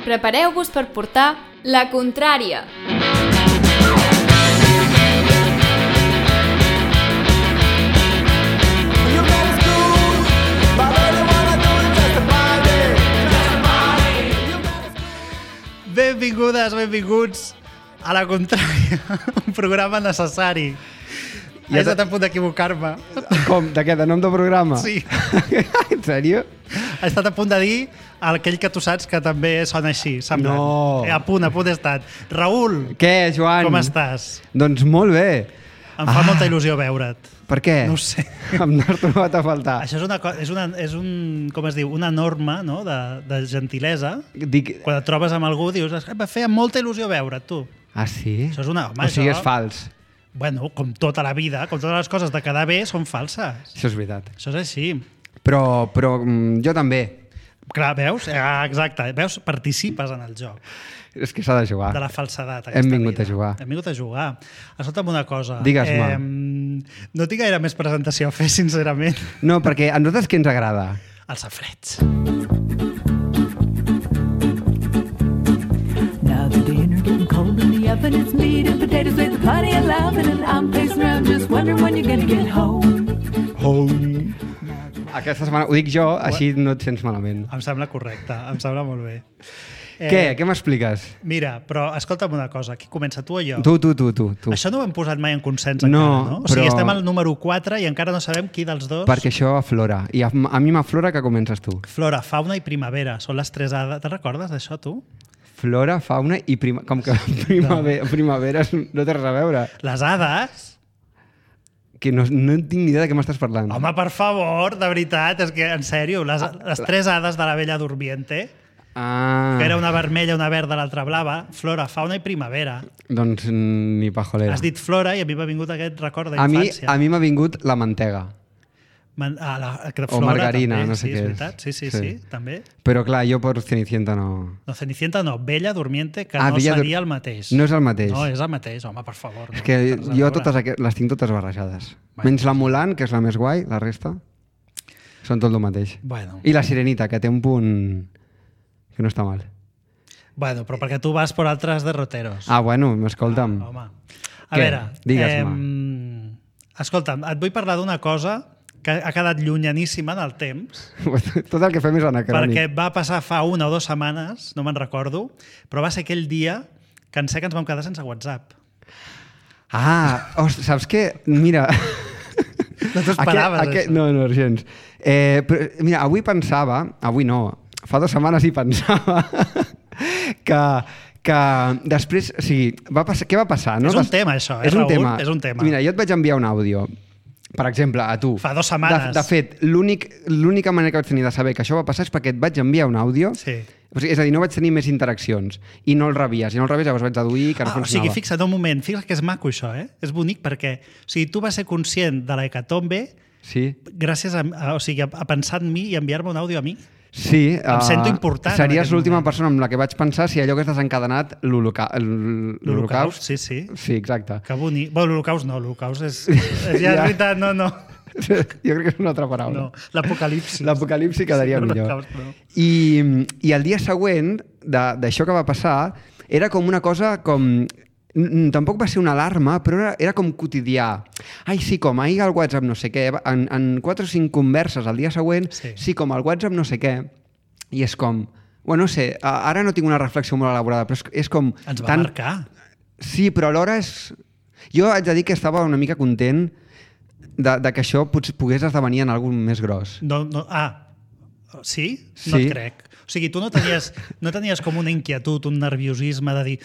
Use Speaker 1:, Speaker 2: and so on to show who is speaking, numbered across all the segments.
Speaker 1: Prepareu-vos per portar la contrària.
Speaker 2: Benvingudes, benvinguts a la contrària, un programa necessari. He estat a punt d'equivocar-me.
Speaker 3: Com? De què? De nom de programa?
Speaker 2: Sí.
Speaker 3: En sèrio?
Speaker 2: He estat a punt de dir aquell que tu saps que també sona així, semblant.
Speaker 3: No.
Speaker 2: A punt he estat. Raül,
Speaker 3: Què, Joan?
Speaker 2: com estàs?
Speaker 3: Doncs molt bé.
Speaker 2: Em fa molta il·lusió veure't.
Speaker 3: Per què?
Speaker 2: No ho sé.
Speaker 3: Em n'has trobat a faltar.
Speaker 2: Això és com es diu, una norma, no? de gentilesa.
Speaker 3: Dic...
Speaker 2: Quan et trobes amb algú dius, em va fer molta il·lusió veure't, tu.
Speaker 3: Ah, sí?
Speaker 2: Això és una... Home,
Speaker 3: o sigui,
Speaker 2: això...
Speaker 3: és fals.
Speaker 2: Bueno, com tota la vida, com totes les coses de quedar bé són falses.
Speaker 3: Això és veritat.
Speaker 2: Això és així.
Speaker 3: Però jo també.
Speaker 2: Clar, veus? Exacte. Veus? Participes en el joc.
Speaker 3: És que s'ha de jugar.
Speaker 2: De la falsedat.
Speaker 3: Hem vingut a jugar.
Speaker 2: Hem vingut a jugar. Escolta'm una cosa.
Speaker 3: Digues-me.
Speaker 2: No tinc gaire més presentació a fer, sincerament.
Speaker 3: No, perquè a nosaltres què ens agrada?
Speaker 2: Els safareig.
Speaker 4: Now the dinner getting cold in the oven. It's meat and potatoes with plenty of loving, and I'm pacing around just wondering when you're gonna get home.
Speaker 3: Home. Aquesta setmana ho dic jo, així no et sents malament.
Speaker 2: Em sembla correcte, em sembla molt bé.
Speaker 3: Què? Què m'expliques?
Speaker 2: Mira, però escolta'm una cosa. Qui comença, tu o jo?
Speaker 3: Tu.
Speaker 2: Això no ho hem posat mai en consens
Speaker 3: No,
Speaker 2: encara, no? O sigui,
Speaker 3: però-
Speaker 2: estem al número 4 i encara no sabem qui dels dos...
Speaker 3: Perquè això aflora. I a mi m'aflora que comences tu.
Speaker 2: Flora, fauna i primavera. Són les tres hades. Te'n recordes d'això, tu?
Speaker 3: Flora, fauna i com que primavera no té res a veure.
Speaker 2: Les hades...
Speaker 3: Que no tinc ni idea de què m'estàs parlant.
Speaker 2: Home, per favor, de veritat, és que, en sèrio, les tres hades de la Bella Dormiente, que era una vermella, una verda, l'altra blava, flora, fauna i primavera.
Speaker 3: Doncs ni pajolera.
Speaker 2: Has dit flora i a mi m'ha vingut aquest record
Speaker 3: A
Speaker 2: d'infància.
Speaker 3: mi m'ha vingut la mantega.
Speaker 2: O
Speaker 3: margarina,
Speaker 2: també,
Speaker 3: no sé
Speaker 2: sí,
Speaker 3: què
Speaker 2: és
Speaker 3: és.
Speaker 2: veritat. Sí, també.
Speaker 3: Però clar, jo per Cenicienta no...
Speaker 2: No, Cenicienta no, Bella Dormiente, que no
Speaker 3: Bella
Speaker 2: seria el mateix.
Speaker 3: No és el mateix.
Speaker 2: No, és el mateix, home, per favor.
Speaker 3: És
Speaker 2: no,
Speaker 3: que
Speaker 2: tens a
Speaker 3: jo
Speaker 2: veure.
Speaker 3: les tinc totes barrejades.
Speaker 2: Bueno,
Speaker 3: Menys la Mulan, que és la més guai, la resta són tot el mateix.
Speaker 2: Bueno.
Speaker 3: I la Sirenita, que té un punt que no està mal.
Speaker 2: Bueno, però perquè tu vas per altres derroteros.
Speaker 3: Ah, bueno, escolta'm.
Speaker 2: Home. A
Speaker 3: Què?
Speaker 2: veure,
Speaker 3: Digues-me.
Speaker 2: Escolta'm, et vull parlar d'una cosa que ha quedat llunyaníssima en el temps,
Speaker 3: Tot el que fem és anacrònic.
Speaker 2: perquè va passar fa 1 o 2 setmanes, no me'n recordo, però va ser aquell dia que ens vam quedar sense WhatsApp.
Speaker 3: Saps què? Mira...
Speaker 2: No t'ho esperaves, això.
Speaker 3: No, gens. Però, mira, avui no, fa 2 setmanes hi pensava que després, o sigui, què va passar? No?
Speaker 2: És un tema, això, Raül? És un tema.
Speaker 3: Mira, jo et vaig enviar un àudio, per exemple, a tu.
Speaker 2: Fa 2 setmanes.
Speaker 3: De fet, l'única manera que vaig tenir de saber que això va passar és perquè et vaig enviar un àudio.
Speaker 2: Sí.
Speaker 3: O sigui, és a dir, no vaig tenir més interaccions i no el rebies. Llavors vaig deduir que no
Speaker 2: O
Speaker 3: funcionava.
Speaker 2: sigui, fixa't un moment, fixa't que és maco això, eh? És bonic perquè tu vas ser conscient de l'hecatombe
Speaker 3: Sí.
Speaker 2: gràcies a pensar en mi i enviar-me un àudio a mi.
Speaker 3: Sí,
Speaker 2: Em sento important en
Speaker 3: Series
Speaker 2: aquest
Speaker 3: l'última
Speaker 2: moment.
Speaker 3: persona amb la que vaig pensar si allò que has desencadenat l'Holocaust.
Speaker 2: Sí, sí.
Speaker 3: Sí, exacte.
Speaker 2: Que bonic. Bueno, l'Holocaust no, l'Holocaust és ja és veritat, no.
Speaker 3: Jo crec que és una altra paraula.
Speaker 2: No, l'apocalipsi.
Speaker 3: L'apocalipsi quedaria millor.
Speaker 2: L'Holocaust, no.
Speaker 3: I el dia següent d'això que va passar era com una cosa com... Tampoc va ser una alarma, però era com quotidià. Ai, sí, com ahir al WhatsApp no sé què. En 4 o 5 converses al dia següent, sí, com al WhatsApp no sé què. I és com... Bueno, no sé, ara no tinc una reflexió molt elaborada, però és com...
Speaker 2: Ens va marcar.
Speaker 3: Sí, però alhora és... Jo haig de dir que estava una mica content de que això potser pogués esdevenir en alguna més gros.
Speaker 2: Sí?
Speaker 3: Sí.
Speaker 2: No et crec. O sigui, tu no tenies com una inquietud, un nerviosisme de dir...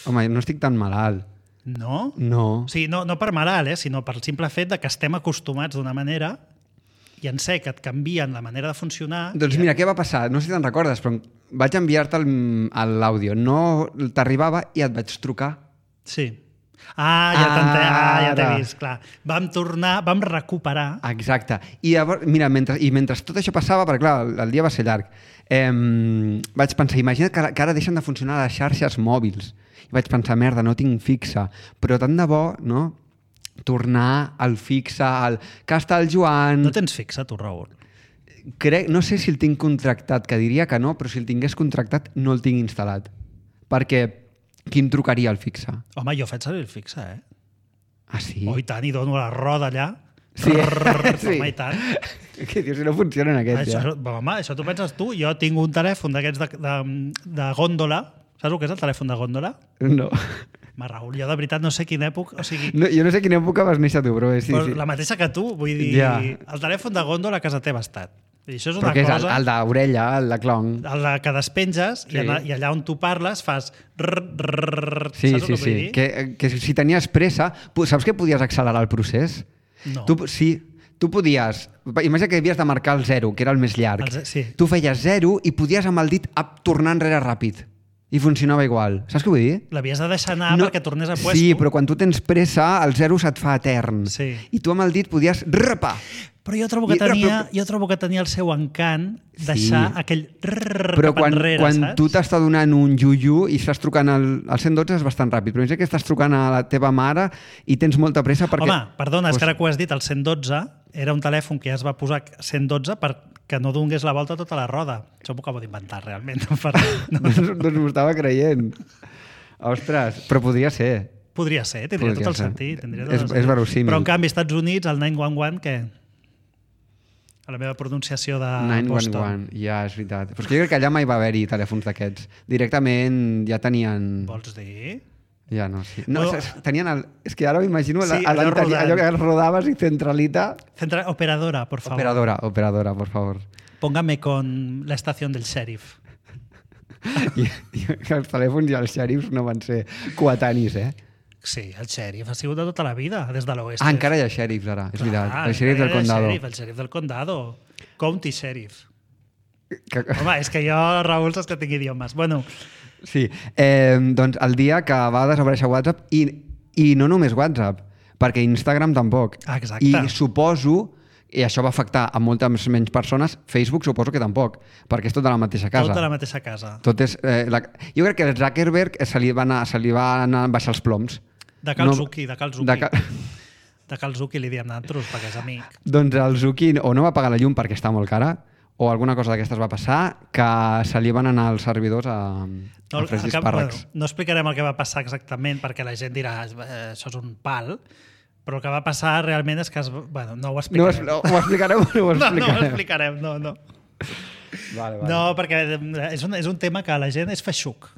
Speaker 3: Home, no estic tan malalt.
Speaker 2: No?
Speaker 3: No.
Speaker 2: O sigui, no per malalt, sinó per el simple fet de que estem acostumats d'una manera i en sé que et canvien la manera de funcionar...
Speaker 3: Doncs mira, què va passar? No sé si te'n recordes, però vaig enviar-te l'àudio. No t'arribava i et vaig trucar.
Speaker 2: Sí. Ja t'he
Speaker 3: Ara.
Speaker 2: vist, clar. Vam recuperar...
Speaker 3: Exacte. I llavors, mira, mentre tot això passava, perquè clar, el dia va ser llarg, vaig pensar, imagina't que ara deixen de funcionar les xarxes mòbils. I vaig pensar, merda, no tinc fixa. Però tant de bo, no?, tornar al fixe, que està el Joan...
Speaker 2: No tens fixa, tu, Raül?
Speaker 3: no sé si el tinc contractat, que diria que no, però si el tingués contractat no el tinc instal·lat. Perquè qui em trucaria al fixe?
Speaker 2: Home, jo faig servir el fixe,
Speaker 3: Ah, sí?
Speaker 2: Oh, i tant, i dono la roda allà.
Speaker 3: Sí, sí.
Speaker 2: Home, i tant.
Speaker 3: Què dius, si no funcionen aquests, ja?
Speaker 2: Home, això t'ho penses tu. Jo tinc un telèfon d'aquests de gòndola. Saps el que és el telèfon de gòndola?
Speaker 3: No.
Speaker 2: Raül, jo de veritat no sé quina època... O sigui,
Speaker 3: No, jo no sé quina època vas néixer tu, però sí,
Speaker 2: però
Speaker 3: sí.
Speaker 2: la mateixa que tu, vull dir...
Speaker 3: Ja.
Speaker 2: El telèfon de gòndola a casa teva ha estat. I això és
Speaker 3: Però
Speaker 2: una
Speaker 3: què és
Speaker 2: cosa...
Speaker 3: el d'orella, el de clon?
Speaker 2: El que despenges
Speaker 3: Sí.
Speaker 2: i allà on tu parles fas...
Speaker 3: Sí,
Speaker 2: saps el
Speaker 3: sí,
Speaker 2: que
Speaker 3: sí.
Speaker 2: vull dir?
Speaker 3: Que si tenies pressa... Saps que podies accelerar el procés?
Speaker 2: No.
Speaker 3: Tu podies... Imagina que havies de marcar el 0, que era el més llarg.
Speaker 2: Sí.
Speaker 3: Tu feies 0 i podies amb el dit tornar enrere ràpid. I funcionava igual. Saps què vull dir?
Speaker 2: L'havies de deixar anar perquè tornés a puesto.
Speaker 3: Sí, però quan tu tens pressa, el 0 se't fa etern.
Speaker 2: Sí.
Speaker 3: I tu amb el dit podies rapar.
Speaker 2: Però jo trobo que tenia el seu encant deixar aquell
Speaker 3: però
Speaker 2: cap enrere,
Speaker 3: quan
Speaker 2: saps?
Speaker 3: tu t'està donant un iu i estàs trucant al 112 és bastant ràpid, però imagina que estàs trucant a la teva mare i tens molta pressa perquè...
Speaker 2: Home, perdona, és que ara que ho has dit, el 112 era un telèfon que ja es va posar 112 perquè no donés la volta a tota la roda. Això m'ho acabo d'inventar, realment.
Speaker 3: Doncs m'ho estava creient. Ostres, però podria ser.
Speaker 2: Podria ser, tindria tot el sentit.
Speaker 3: És verossímil.
Speaker 2: Però en canvi, als Estats Units, el 911, què? A la meva pronunciació de
Speaker 3: 911,
Speaker 2: Boston.
Speaker 3: ja, és veritat. Però és que jo crec que allà mai va haver-hi telèfons d'aquests. Directament ja tenien...
Speaker 2: Vols dir?
Speaker 3: Ja no, sí. No,
Speaker 2: No.
Speaker 3: tenien el... És que ara m'imagino
Speaker 2: Sí, allò
Speaker 3: que rodaves i centralita...
Speaker 2: Operadora, por favor.
Speaker 3: Operadora, por favor.
Speaker 2: Póngame con la estación del sheriff.
Speaker 3: I els telèfons i els xèrifs no van ser coetanis,
Speaker 2: Sí, el sheriff ha sigut de tota la vida, des de l'oest.
Speaker 3: Ah, encara hi ha xèrifs ara, és veritat. El xèrif del condado.
Speaker 2: El xèrif del condado. County sheriff. Home, és que jo, Raül, saps que tinc idiomes. Bueno,
Speaker 3: sí, doncs el dia que va desaparèixer WhatsApp i no només WhatsApp, perquè Instagram tampoc.
Speaker 2: Ah, exacte.
Speaker 3: I suposo, i això va afectar a moltes menys persones, Facebook suposo que tampoc, perquè és tot de la mateixa casa.
Speaker 2: tot de la mateixa casa.
Speaker 3: Tot és, jo crec que el Zuckerberg se li van anar baixar els ploms.
Speaker 2: De Cal Zucchi, de Cal Zucchi.
Speaker 3: De Cal-
Speaker 2: De Cal Zucchi li diem nosaltres, perquè és amic.
Speaker 3: Doncs el Zucchi o no va pagar la llum perquè està molt cara, o alguna cosa d'aquestes va passar, que se li van anar els servidors a fregir espàrrecs.
Speaker 2: Bueno, no explicarem el que va passar exactament, perquè la gent dirà això és un pal, però el que va passar realment és que... Bueno, no ho explicarem.
Speaker 3: No, ho explicarem o no ho explicarem?
Speaker 2: No ho explicarem, no.
Speaker 3: Vale.
Speaker 2: No, perquè és un tema que la gent és feixuc.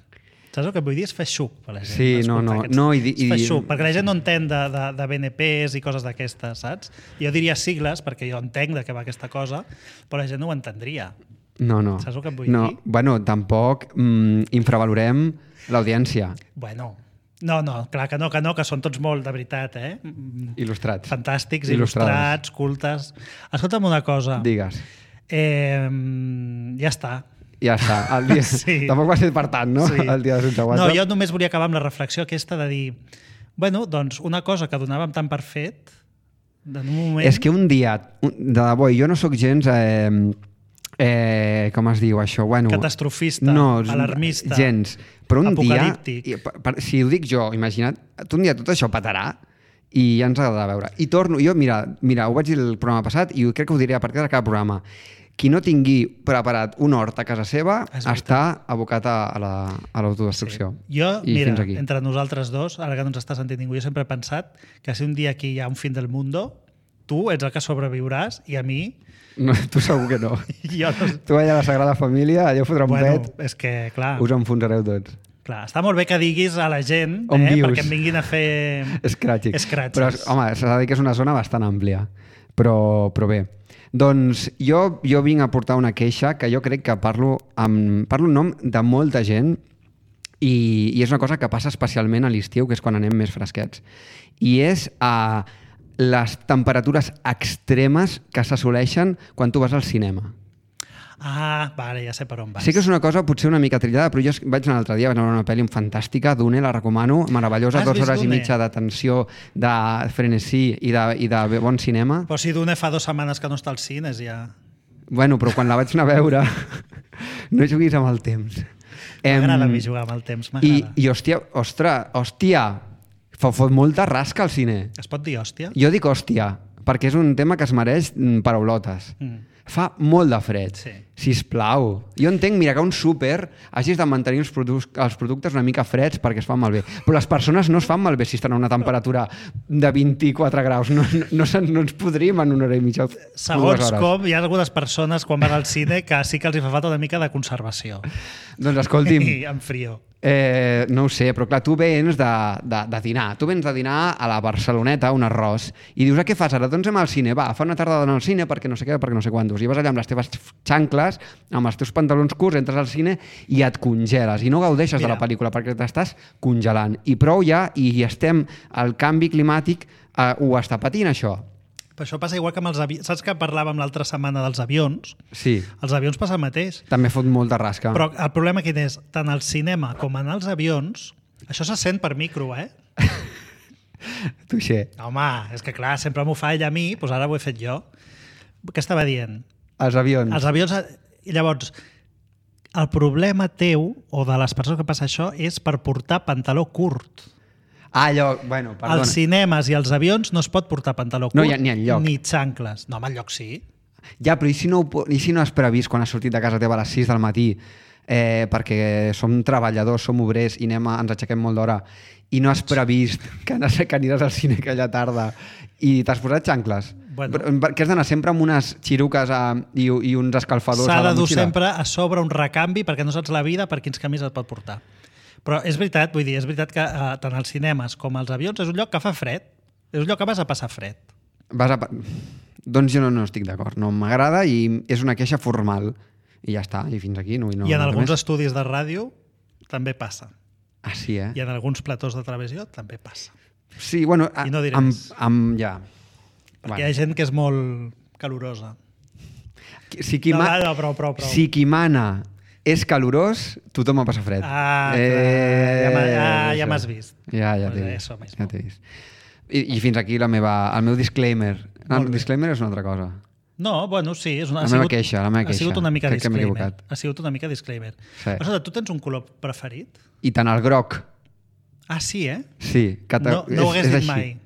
Speaker 2: Saps el que vull dir? És feixuc per la gent.
Speaker 3: Sí, no.
Speaker 2: És feixuc, perquè la gent no entén de BNPs i coses d'aquestes, saps? Jo diria sigles, perquè jo entenc de què va aquesta cosa, però la gent no ho entendria.
Speaker 3: No.
Speaker 2: Saps el que et vull dir?
Speaker 3: Bueno, tampoc infravalorem l'audiència.
Speaker 2: Bueno, no, clar que no, que són tots molt, de veritat,
Speaker 3: Il·lustrats.
Speaker 2: Fantàstics, il·lustrats, cultes. Escolta'm una cosa.
Speaker 3: Digues.
Speaker 2: Ja està.
Speaker 3: Ja està. El dia...
Speaker 2: Sí.
Speaker 3: Tampoc va ser per tant, no?
Speaker 2: Sí.
Speaker 3: El dia de sense WhatsApp.
Speaker 2: No, jo només volia acabar amb la reflexió aquesta de dir, bueno, doncs una cosa que donàvem tant per fet, en un moment...
Speaker 3: És que un dia, de debò, jo no sóc gens... com es diu això? Bueno,
Speaker 2: catastrofista, alarmista,
Speaker 3: gens. Però un
Speaker 2: apocalíptic.
Speaker 3: dia, si ho dic jo, imagina't, un dia tot això petarà i ja ens ha de veure. I torno, jo, mira, ho vaig dir el programa passat i crec que ho diré a partir de cada programa. Qui no tingui preparat un hort a casa seva està abocat a l'autodestrucció.
Speaker 2: Sí. Jo,
Speaker 3: I
Speaker 2: mira,
Speaker 3: fins aquí.
Speaker 2: entre nosaltres dos, ara que no ens està sentint ningú, jo sempre he pensat que si un dia aquí hi ha un fin del mundo, tu ets el que sobreviuràs i a mi...
Speaker 3: No, tu segur que no.
Speaker 2: Jo no...
Speaker 3: Tu allà a la Sagrada Família, allò fotrà un pet,
Speaker 2: és que, clar...
Speaker 3: us enfonsareu tots.
Speaker 2: Clar, està molt bé que diguis a la gent perquè em vinguin a fer...
Speaker 3: Scratchings. Però, home, s'ha de dir que és una zona bastant àmplia. Però bé. Doncs jo vinc a portar una queixa que jo crec que parlo en nom de molta gent i és una cosa que passa especialment a l'estiu, que és quan anem més fresquets. I és les temperatures extremes que s'assoleixen quan tu vas al cinema.
Speaker 2: Ah, vale, ja sé per on vas.
Speaker 3: Sé que és una cosa potser una mica trillada, però jo vaig anar l'altre dia, vaig anar a una pel·li fantàstica, Dune, la recomano, meravellosa, 2 hores i mitja de tensió, de frenesí i de bon cinema.
Speaker 2: Però si Dune fa 2 setmanes que no està als cines, ja...
Speaker 3: Bueno, però quan la vaig anar a veure, no juguis amb el temps.
Speaker 2: M'agrada a mi jugar amb el temps, m'agrada.
Speaker 3: I hòstia, fot molta rasca al cine.
Speaker 2: Es pot dir hòstia?
Speaker 3: Jo dic hòstia, perquè és un tema que es mereix paraulotes. Fa molt de fred.
Speaker 2: Sí.
Speaker 3: Sisplau. Jo entenc, mira, que un súper hagis de mantenir els productes una mica freds perquè es fan malbé. Però les persones no es fan malbé si estan a una temperatura de 24 graus. No ens podríem en una hora i mitja.
Speaker 2: Segons com, hi ha algunes persones quan van al cine que sí que els hi fa falta una mica de conservació.
Speaker 3: Doncs escolti'm...
Speaker 2: I en frio.
Speaker 3: No ho sé, però clar, tu vens de dinar. Tu vens de dinar a la Barceloneta, un arròs, i dius, què fas ara? Doncs anem al cine. Va, fa una tarda d'anar al cine perquè no sé què, perquè no sé quantos. I vas allà amb les teves xancles, amb els teus pantalons curts, entres al cine i et congeles. I no gaudeixes de la pel·lícula perquè t'estàs congelant. I prou ja, i estem... El canvi climàtic ho està patint, això.
Speaker 2: Però això passa igual que amb els avions. Saps que parlàvem l'altra setmana dels avions?
Speaker 3: Sí.
Speaker 2: Els avions passa el mateix.
Speaker 3: També fot molta rasca.
Speaker 2: Però el problema quin és? Tant al cinema com en els avions, això se sent per micro,
Speaker 3: Touché.
Speaker 2: Home, és que clar, sempre m'ho fa ella a mi, doncs ara ho he fet jo. Què estava dient?
Speaker 3: Els avions.
Speaker 2: Els avions... I llavors, el problema teu, o de les persones que passa això, és per portar pantaló curt.
Speaker 3: Allò, bueno, perdona.
Speaker 2: Als cinemes i als avions no es pot portar pantaló curt,
Speaker 3: No hi ha ni enlloc.
Speaker 2: ni xancles. No, home, enlloc sí.
Speaker 3: Ja, però i si no has previst quan has sortit de casa teva a les 6 del matí perquè som treballadors, som obrers i ens aixequem molt d'hora i no has previst que aniràs al cine aquella tarda i t'has posat xancles?
Speaker 2: Bueno.
Speaker 3: Que has d'anar sempre amb unes xiruques i uns escalfadors a
Speaker 2: S'ha
Speaker 3: la
Speaker 2: de dur
Speaker 3: motxilla?
Speaker 2: sempre a sobre un recanvi perquè no saps la vida per quins camins et pot portar. Però és veritat, vull dir, és veritat que tant als cinemes com als avions és un lloc que fa fred. És un lloc que vas a passar fred.
Speaker 3: Doncs jo no estic d'acord. No m'agrada i és una queixa formal. I ja està, i fins aquí. No,
Speaker 2: I en alguns estudis de ràdio també passa.
Speaker 3: Ah, sí,
Speaker 2: I en alguns platós de televisió també passa.
Speaker 3: Sí, bueno...
Speaker 2: I no diré més.
Speaker 3: Ja.
Speaker 2: Perquè hi ha gent que és molt calorosa.
Speaker 3: Si qui
Speaker 2: prou.
Speaker 3: Si qui mana és calorós, tothom a passar fred.
Speaker 2: Ja m'has vist.
Speaker 3: Ja t'he vist. I fins aquí el meu disclaimer. No, el disclaimer és una altra cosa.
Speaker 2: No, bueno, sí.
Speaker 3: La meva queixa.
Speaker 2: Ha sigut una mica
Speaker 3: Crec que m'he
Speaker 2: disclaimer.
Speaker 3: equivocat.
Speaker 2: Ha sigut una mica disclaimer.
Speaker 3: Sí.
Speaker 2: Escolta, tu tens un color preferit?
Speaker 3: I tant el groc.
Speaker 2: Ah, sí, eh?
Speaker 3: Sí.
Speaker 2: No ho hagués dit mai.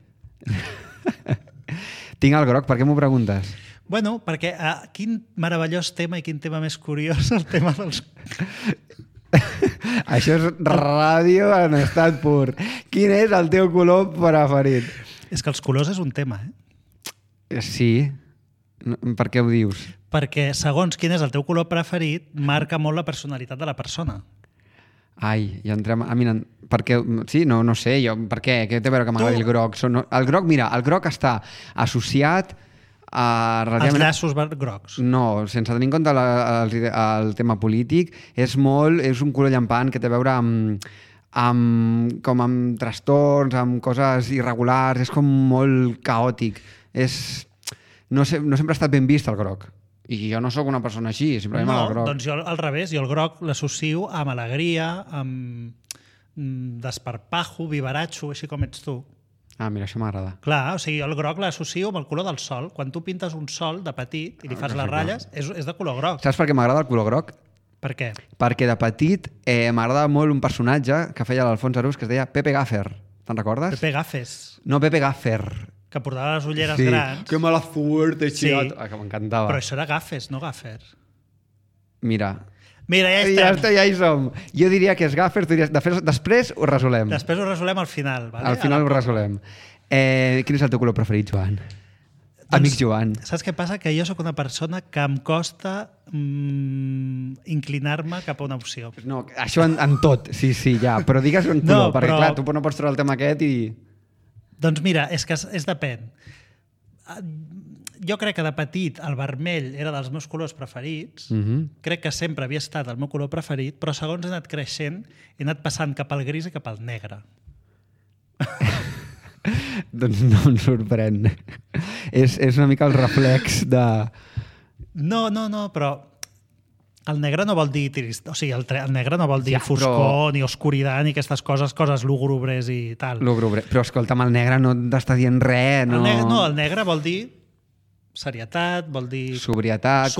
Speaker 3: Tinc el groc, per què m'ho preguntes?
Speaker 2: Bueno, perquè quin meravellós tema i quin tema més curiós el tema dels...
Speaker 3: Això és ràdio en estat pur. Quin és el teu color preferit?
Speaker 2: És que els colors és un tema,
Speaker 3: Sí. Per què ho dius?
Speaker 2: Perquè segons quin és el teu color preferit marca molt la personalitat de la persona.
Speaker 3: Ai, ja entrem... Per què? Sí, no sé, jo, per què? Què té a veure que m'agradi el groc? El groc, mira, el groc està associat a...
Speaker 2: Els llaços grocs.
Speaker 3: No, sense tenir en compte el tema polític, és un color llampant que té a veure com amb trastorns, amb coses irregulars, és com molt caòtic. No sempre ha estat ben vist el groc. I jo no sóc una persona així, simplement el groc.
Speaker 2: Doncs jo al revés, jo el groc l'associo amb alegria, amb desparpajo, vivaratxo, així com ets tu.
Speaker 3: Ah, mira, això m'agrada.
Speaker 2: Clar, o sigui, el groc l'associo amb el color del sol. Quan tu pintes un sol de petit i li fas les ratlles, és de color groc.
Speaker 3: Saps per què m'agrada el color groc?
Speaker 2: Per què?
Speaker 3: Perquè de petit m'agradava molt un personatge que feia l'Alfons Arús que es deia Pepe Gaffer. Te'n recordes?
Speaker 2: Pepe Gafes.
Speaker 3: No, Pepe Gaffer.
Speaker 2: Que portava les ulleres grans.
Speaker 3: Que mala suerte, xiat.
Speaker 2: Sí.
Speaker 3: Que m'encantava.
Speaker 2: Però això era Gafes, no Gaffer.
Speaker 3: Mira,
Speaker 2: ja estem.
Speaker 3: Ja hi som. Jo diria que és Gaffer, tu diries... Després ho resolem.
Speaker 2: Després ho resolem al final. Vale?
Speaker 3: Al final ho resolem. Quin és el teu color preferit, Joan? Amic Joan.
Speaker 2: Saps què passa? Que jo sóc una persona que em costa inclinar-me cap a una opció.
Speaker 3: No, això en tot, sí, ja. Però digues un color, perquè clar, tu no pots treure el tema aquest i...
Speaker 2: Doncs mira, és que és depèn. Jo crec que de petit el vermell era dels meus colors preferits. Crec que sempre havia estat el meu color preferit, però segons he anat creixent he anat passant cap al gris i cap al negre.
Speaker 3: Doncs no em sorprèn. És una mica el reflex de...
Speaker 2: No, però el negre no vol dir trist, o sigui, el negre no vol dir foscor, ni oscuritat, ni aquestes coses lúgubres i tal.
Speaker 3: Lúgubre. Però escolta'm, el negre no t'està dient res.
Speaker 2: El negre vol dir serietat, vol dir
Speaker 3: sobrietat,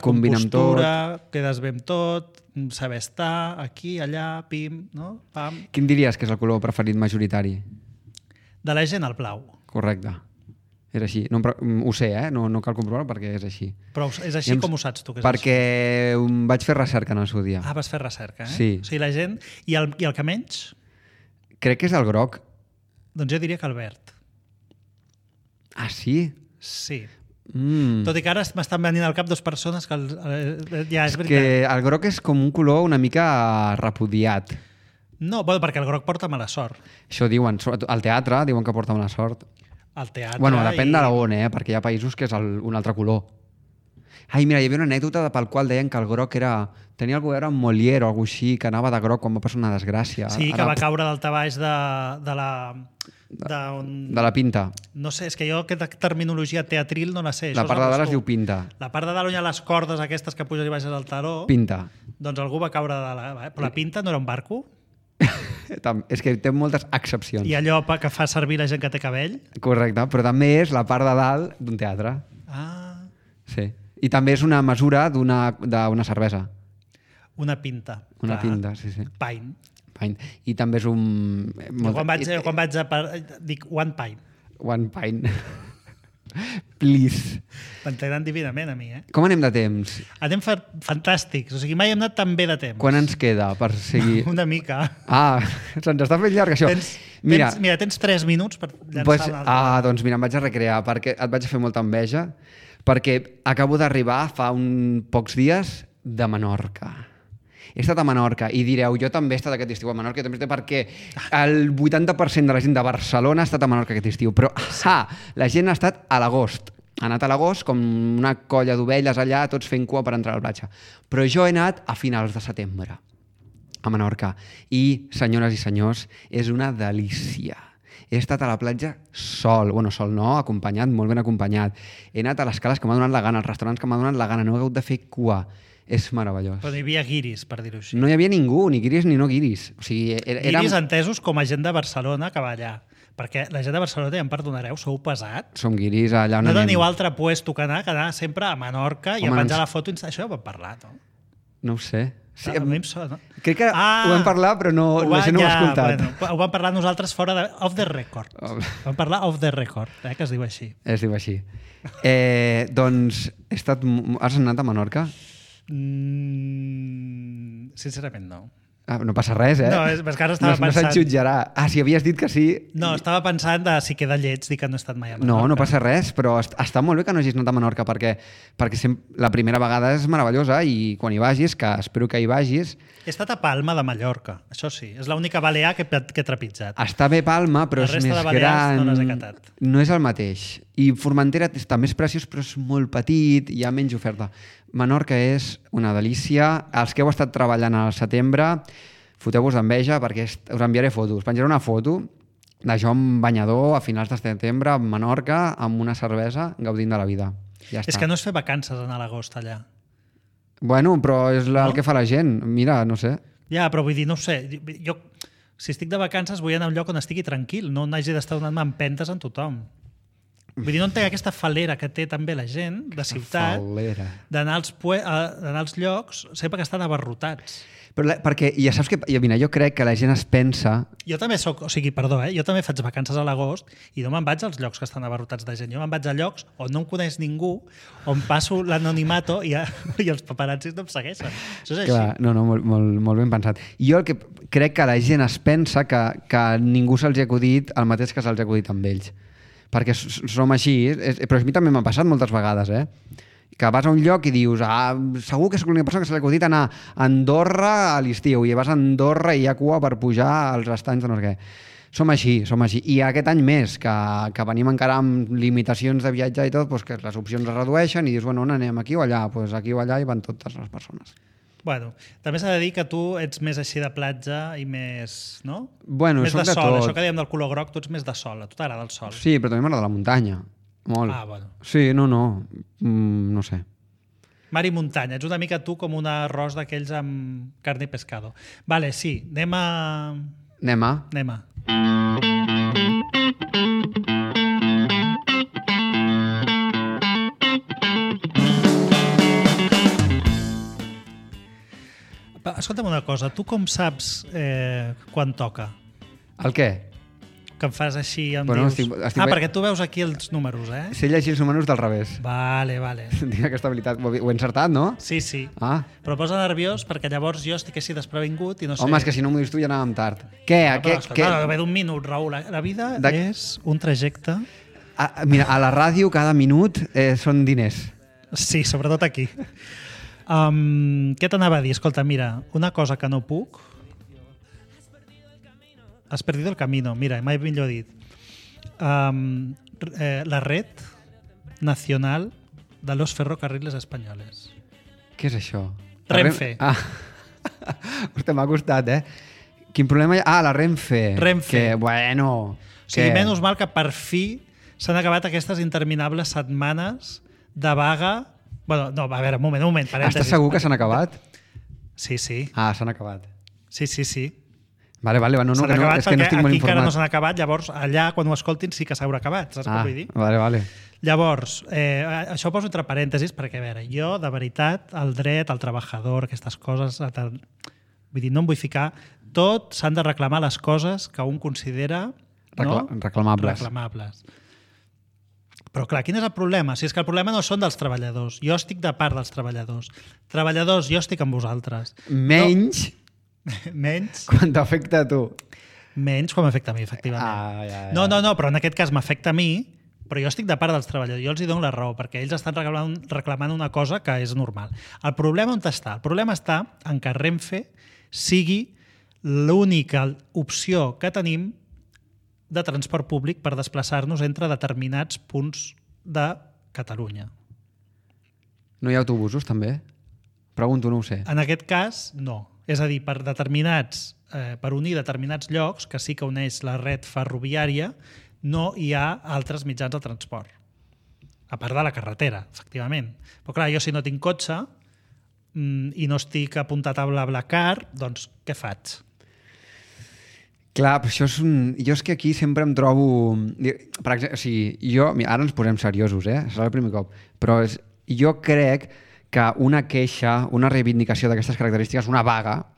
Speaker 2: compostura, quedes bé amb tot, saber estar aquí, allà, pim, no? Pam.
Speaker 3: Quin diries que és el color preferit majoritari?
Speaker 2: De la gent, el blau.
Speaker 3: Correcte. És així. No, ho sé, no cal comprovar perquè és així.
Speaker 2: Però és així com ho saps tu? Que és
Speaker 3: perquè vaig fer recerca en el seu dia.
Speaker 2: Ah, vas fer recerca,
Speaker 3: Sí.
Speaker 2: O sigui, la gent... I el que menys?
Speaker 3: Crec que és el groc.
Speaker 2: Doncs jo diria que el verd.
Speaker 3: Ah, sí?
Speaker 2: Sí. Tot i que ara m'estan venint al cap 2 persones que ja és veritat.
Speaker 3: Que el groc és com un color una mica repudiat.
Speaker 2: No, bueno, perquè el groc porta mala sort.
Speaker 3: Això diuen, al teatre diuen que porta mala sort.
Speaker 2: Al teatre...
Speaker 3: Bueno, depèn de on, perquè hi ha països que és un altre color. Ai, mira, hi havia una anècdota pel qual deien que el groc tenia alguna cosa a veure amb Molière o alguna cosa així, que anava de groc quan va passar una desgràcia.
Speaker 2: Sí, que va caure daltabaix de la
Speaker 3: pinta.
Speaker 2: No sé, és que jo aquesta terminologia teatril no la sé.
Speaker 3: La part de dalt es diu pinta.
Speaker 2: La part de dalt on hi ha les cordes aquestes que puges i baixes al taló...
Speaker 3: Pinta.
Speaker 2: Doncs algú va caure de la... Però la pinta no era un barco?
Speaker 3: És que té moltes excepcions.
Speaker 2: I allò que fa servir la gent que té cabell?
Speaker 3: Correcte, però també és la part de dalt d'un teatre.
Speaker 2: Ah.
Speaker 3: Sí. I també és una mesura d'una cervesa.
Speaker 2: Una pinta.
Speaker 3: Una pinta, sí.
Speaker 2: Pint.
Speaker 3: I també és un...
Speaker 2: Quan vaig a... Dic one pint.
Speaker 3: One pint. Please.
Speaker 2: M'entenen divinament a mi,
Speaker 3: Com anem de temps?
Speaker 2: Anem fantàstics. O sigui, mai hem anat tan bé de temps.
Speaker 3: Quan ens queda per seguir?
Speaker 2: Una mica.
Speaker 3: Ah, se'ns està fent llarg, això.
Speaker 2: Tens 3 minuts per llançar una altra.
Speaker 3: Doncs mira, em vaig a recrear, perquè et vaig a fer molta enveja, perquè acabo d'arribar fa pocs dies de Menorca. He estat a Menorca i direu, jo també he estat aquest estiu a Menorca, jo també he estat perquè el 80% de la gent de Barcelona ha estat a Menorca aquest estiu, però la gent ha estat a l'agost. Ha anat a l'agost com una colla d'ovelles allà, tots fent cua per entrar a la platja. Però jo he anat a finals de setembre a Menorca i, senyores i senyors, és una delícia. He estat a la platja sol no, acompanyat, molt ben acompanyat. He anat a les cales que m'ha donat la gana, als restaurants que m'ha donat la gana, no he hagut de fer cua. És meravellós.
Speaker 2: Però no hi havia guiris, per dir-ho així.
Speaker 3: No hi havia ningú, ni guiris ni no guiris. O sigui,
Speaker 2: guiris entesos com a gent de Barcelona que va allà. Perquè la gent de Barcelona, ja em perdonareu, sou pesats.
Speaker 3: Som guiris allà on anem.
Speaker 2: No teniu altre puesto que anar sempre a Menorca i a penjar la foto. Això ja ho vam parlar, no?
Speaker 3: No ho sé.
Speaker 2: Sí, a mi em sona.
Speaker 3: Crec que ho vam parlar, però la gent no ho ha escoltat.
Speaker 2: Bueno, ho vam parlar nosaltres fora off the record. Vam parlar off the record, que es diu així.
Speaker 3: Es diu així. Doncs has anat a Menorca?
Speaker 2: Sincerament no.
Speaker 3: No passa res,
Speaker 2: No, és que ara estava pensant...
Speaker 3: No se't jutjarà. Si havies dit que sí...
Speaker 2: No, estava pensant de si queda lleig dir que no he estat mai a Menorca.
Speaker 3: No passa res, però està molt bé que no hagis anat a Menorca perquè la primera vegada és meravellosa i quan hi vagis, que espero que hi vagis...
Speaker 2: He estat a Palma de Mallorca, això sí. És l'única balear que he trepitjat.
Speaker 3: Està bé Palma, però és més gran.
Speaker 2: No les he catat.
Speaker 3: No és el mateix. I Formentera està més preciós, però és molt petit, hi ha menys oferta. Menorca és una delícia. Els que heu estat treballant al setembre, foteu-vos d'enveja perquè us enviaré fotos. Penjaré una foto de jo amb banyador a finals de setembre a Menorca amb una cervesa gaudint de la vida. Ja està.
Speaker 2: És que no és fer vacances anar a l'agost allà.
Speaker 3: Bueno, però és el que fa la gent. Mira, no sé.
Speaker 2: Ja, però vull dir, no ho sé. Jo, si estic de vacances, vull anar a un lloc on estigui tranquil, no n'hagi d'estar donant-me empentes en tothom. Vull dir, no entenc aquesta falera que té també la gent de ciutat d'anar als llocs sempre que estan abarrotats.
Speaker 3: Però perquè ja saps que mira, jo crec que la gent es pensa...
Speaker 2: Jo també jo també faig vacances a l'agost i no me'n vaig als llocs que estan abarrotats de gent. Jo me'n vaig a llocs on no em coneix ningú, on passo l'anonimato i els paparazzis no em segueixen. Això és així.
Speaker 3: Clar, no, molt ben pensat. I jo el que crec que la gent es pensa que ningú se'ls ha acudit el mateix que se'ls ha acudit amb ells. Perquè som així, però a mi també m'ha passat moltes vegades, que vas a un lloc i dius segur que és l'única persona que se li ha acudit anar a Andorra a l'estiu i vas a Andorra i hi ha cua per pujar als estanys de no sé què. Som així. I aquest any més, que venim encara amb limitacions de viatjar i tot, doncs que les opcions es redueixen i dius, bueno, on anem, aquí o allà? Doncs aquí o allà hi van totes les persones.
Speaker 2: Bueno, també s'ha de dir que tu ets més així de platja i més, no?
Speaker 3: Bueno,
Speaker 2: més
Speaker 3: soc
Speaker 2: de sol,
Speaker 3: tot.
Speaker 2: això que dèiem del color groc, tu ets més de sol, a tu t'agrada el sol.
Speaker 3: Sí, però també m'agrada la muntanya. Molt.
Speaker 2: Bueno.
Speaker 3: Sí, no. No sé.
Speaker 2: Mar i muntanya. Ets una mica tu com un arròs d'aquells amb carn i pescado. Vale, sí. Anem a... Escolta'm una cosa. Tu com saps quan toca?
Speaker 3: El què?
Speaker 2: Que em fas així, em
Speaker 3: Bueno,
Speaker 2: dius... perquè tu veus aquí els números,
Speaker 3: Sé llegir els números del revés.
Speaker 2: Vale.
Speaker 3: Tinc aquesta habilitat. Ho he encertat, no?
Speaker 2: Sí. Però posa nerviós perquè llavors jo estic així desprevingut i no sé...
Speaker 3: Home, és que si no m'ho dius tu ja anàvem tard. Què?
Speaker 2: No, ve d'un minut, Raül. La vida és un trajecte...
Speaker 3: Mira, a la ràdio cada minut són diners.
Speaker 2: Sí, sobretot aquí. Què t'anava a dir? Escolta, mira, una cosa que no puc... Has perdido el camino. Mira, mai millor dit. La red nacional de los ferrocarriles españoles.
Speaker 3: Què és això?
Speaker 2: Renfe.
Speaker 3: Hòstia, m'ha costat, Quin problema hi ha? La Renfe. Que, bueno...
Speaker 2: O sigui, menys mal que per fi s'han acabat aquestes interminables setmanes de vaga... Bueno, no, a veure, un moment, parèntesis.
Speaker 3: Estàs segur que s'han acabat?
Speaker 2: Sí.
Speaker 3: S'han acabat.
Speaker 2: Sí.
Speaker 3: Vale, no,
Speaker 2: s'han acabat
Speaker 3: és que no estic molt
Speaker 2: aquí
Speaker 3: informat.
Speaker 2: encara no s'han acabat, llavors allà quan ho escoltin sí que s'haurà acabat, saps què vull dir?
Speaker 3: Vale.
Speaker 2: Llavors, això ho poso entre parèntesis perquè, a veure, jo de veritat el dret, el treballador, aquestes coses, vull dir, no em vull ficar, tot s'han de reclamar les coses que un considera reclamables. Però clar, quin és el problema? Si és que el problema no són dels treballadors, jo estic de part dels treballadors. Treballadors, jo estic amb vosaltres.
Speaker 3: Menys quan t'afecta a tu.
Speaker 2: Menys quan m'afecta a mi, efectivament.
Speaker 3: Ja.
Speaker 2: No, però en aquest cas m'afecta a mi, però jo estic de part dels treballadors. Jo els hi dono la raó, perquè ells estan reclamant una cosa que és normal. El problema on està? El problema està en que Renfe sigui l'única opció que tenim de transport públic per desplaçar-nos entre determinats punts de Catalunya.
Speaker 3: No hi ha autobusos, també? Pregunto, no ho sé.
Speaker 2: En aquest cas, no. És a dir, per unir determinats llocs, que sí que uneix la red ferroviària, no hi ha altres mitjans de transport. A part de la carretera, efectivament. Però clar, jo si no tinc cotxe i no estic apuntat a BlaBlaCar, doncs què faig?
Speaker 3: Clar, però això és jo és que aquí sempre em trobo... Per exemple, o sigui, ara ens posem seriosos, serà el primer cop, però jo crec que una queixa, una reivindicació d'aquestes característiques, una vaga,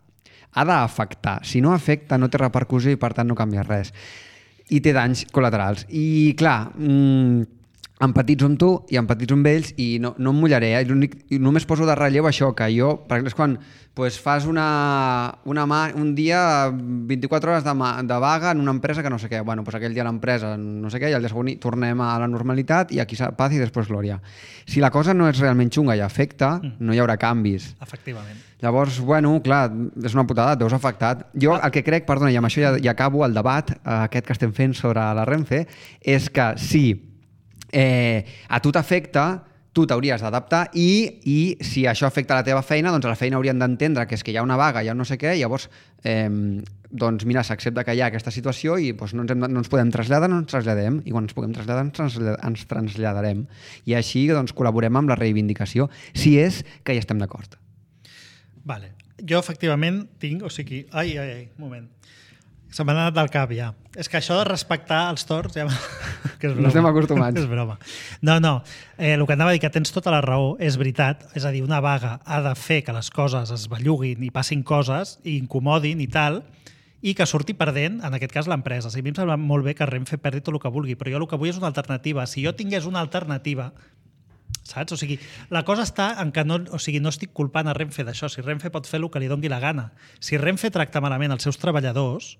Speaker 3: ha d'afectar. Si no afecta, no té repercussió i per tant no canvia res. I té danys col·laterals. I clar, empatitzo amb tu i empatitzo amb ells i no em mullaré. I només poso de relleu això, que jo, per exemple, és quan fas un dia 24 hores de vaga en una empresa que no sé què. Bueno, doncs aquell dia l'empresa no sé què i el dia següent tornem a la normalitat i aquí paz i després glòria. Si la cosa no és realment xunga i afecta, no hi haurà canvis.
Speaker 2: Efectivament.
Speaker 3: Llavors, bueno, clar, és una putada, et veus afectat. Jo el que crec, perdona, i amb això ja acabo el debat aquest que estem fent sobre la Renfe, és que si a tu t'afecta, tu t'hauries d'adaptar i si això afecta la teva feina, doncs a la feina haurien d'entendre que és que hi ha una vaga, hi ha no sé què, llavors doncs mira, s'accepta que hi ha aquesta situació i doncs no ens podem traslladar, no ens traslladem, i quan ens puguem traslladar ens traslladarem. I així doncs col·laborem amb la reivindicació, si és que hi estem d'acord.
Speaker 2: Vale. Jo efectivament tinc, o sigui, un moment. Se m'ha anat del cap ja. És que això de respectar els torns... Ja... que és broma.
Speaker 3: No estem acostumats.
Speaker 2: És broma. No. El que anava a dir que tens tota la raó és veritat. És a dir, una vaga ha de fer que les coses es belluguin i passin coses i incomodin i tal, i que surti perdent, en aquest cas, l'empresa. A mi em sembla molt bé que Renfe perdi tot el que vulgui, però jo el que vull és una alternativa. Si jo tingués una alternativa, saps? O sigui, la cosa està en que no estic culpant a Renfe d'això. Si Renfe pot fer el que li doni la gana. Si Renfe tracta malament els seus treballadors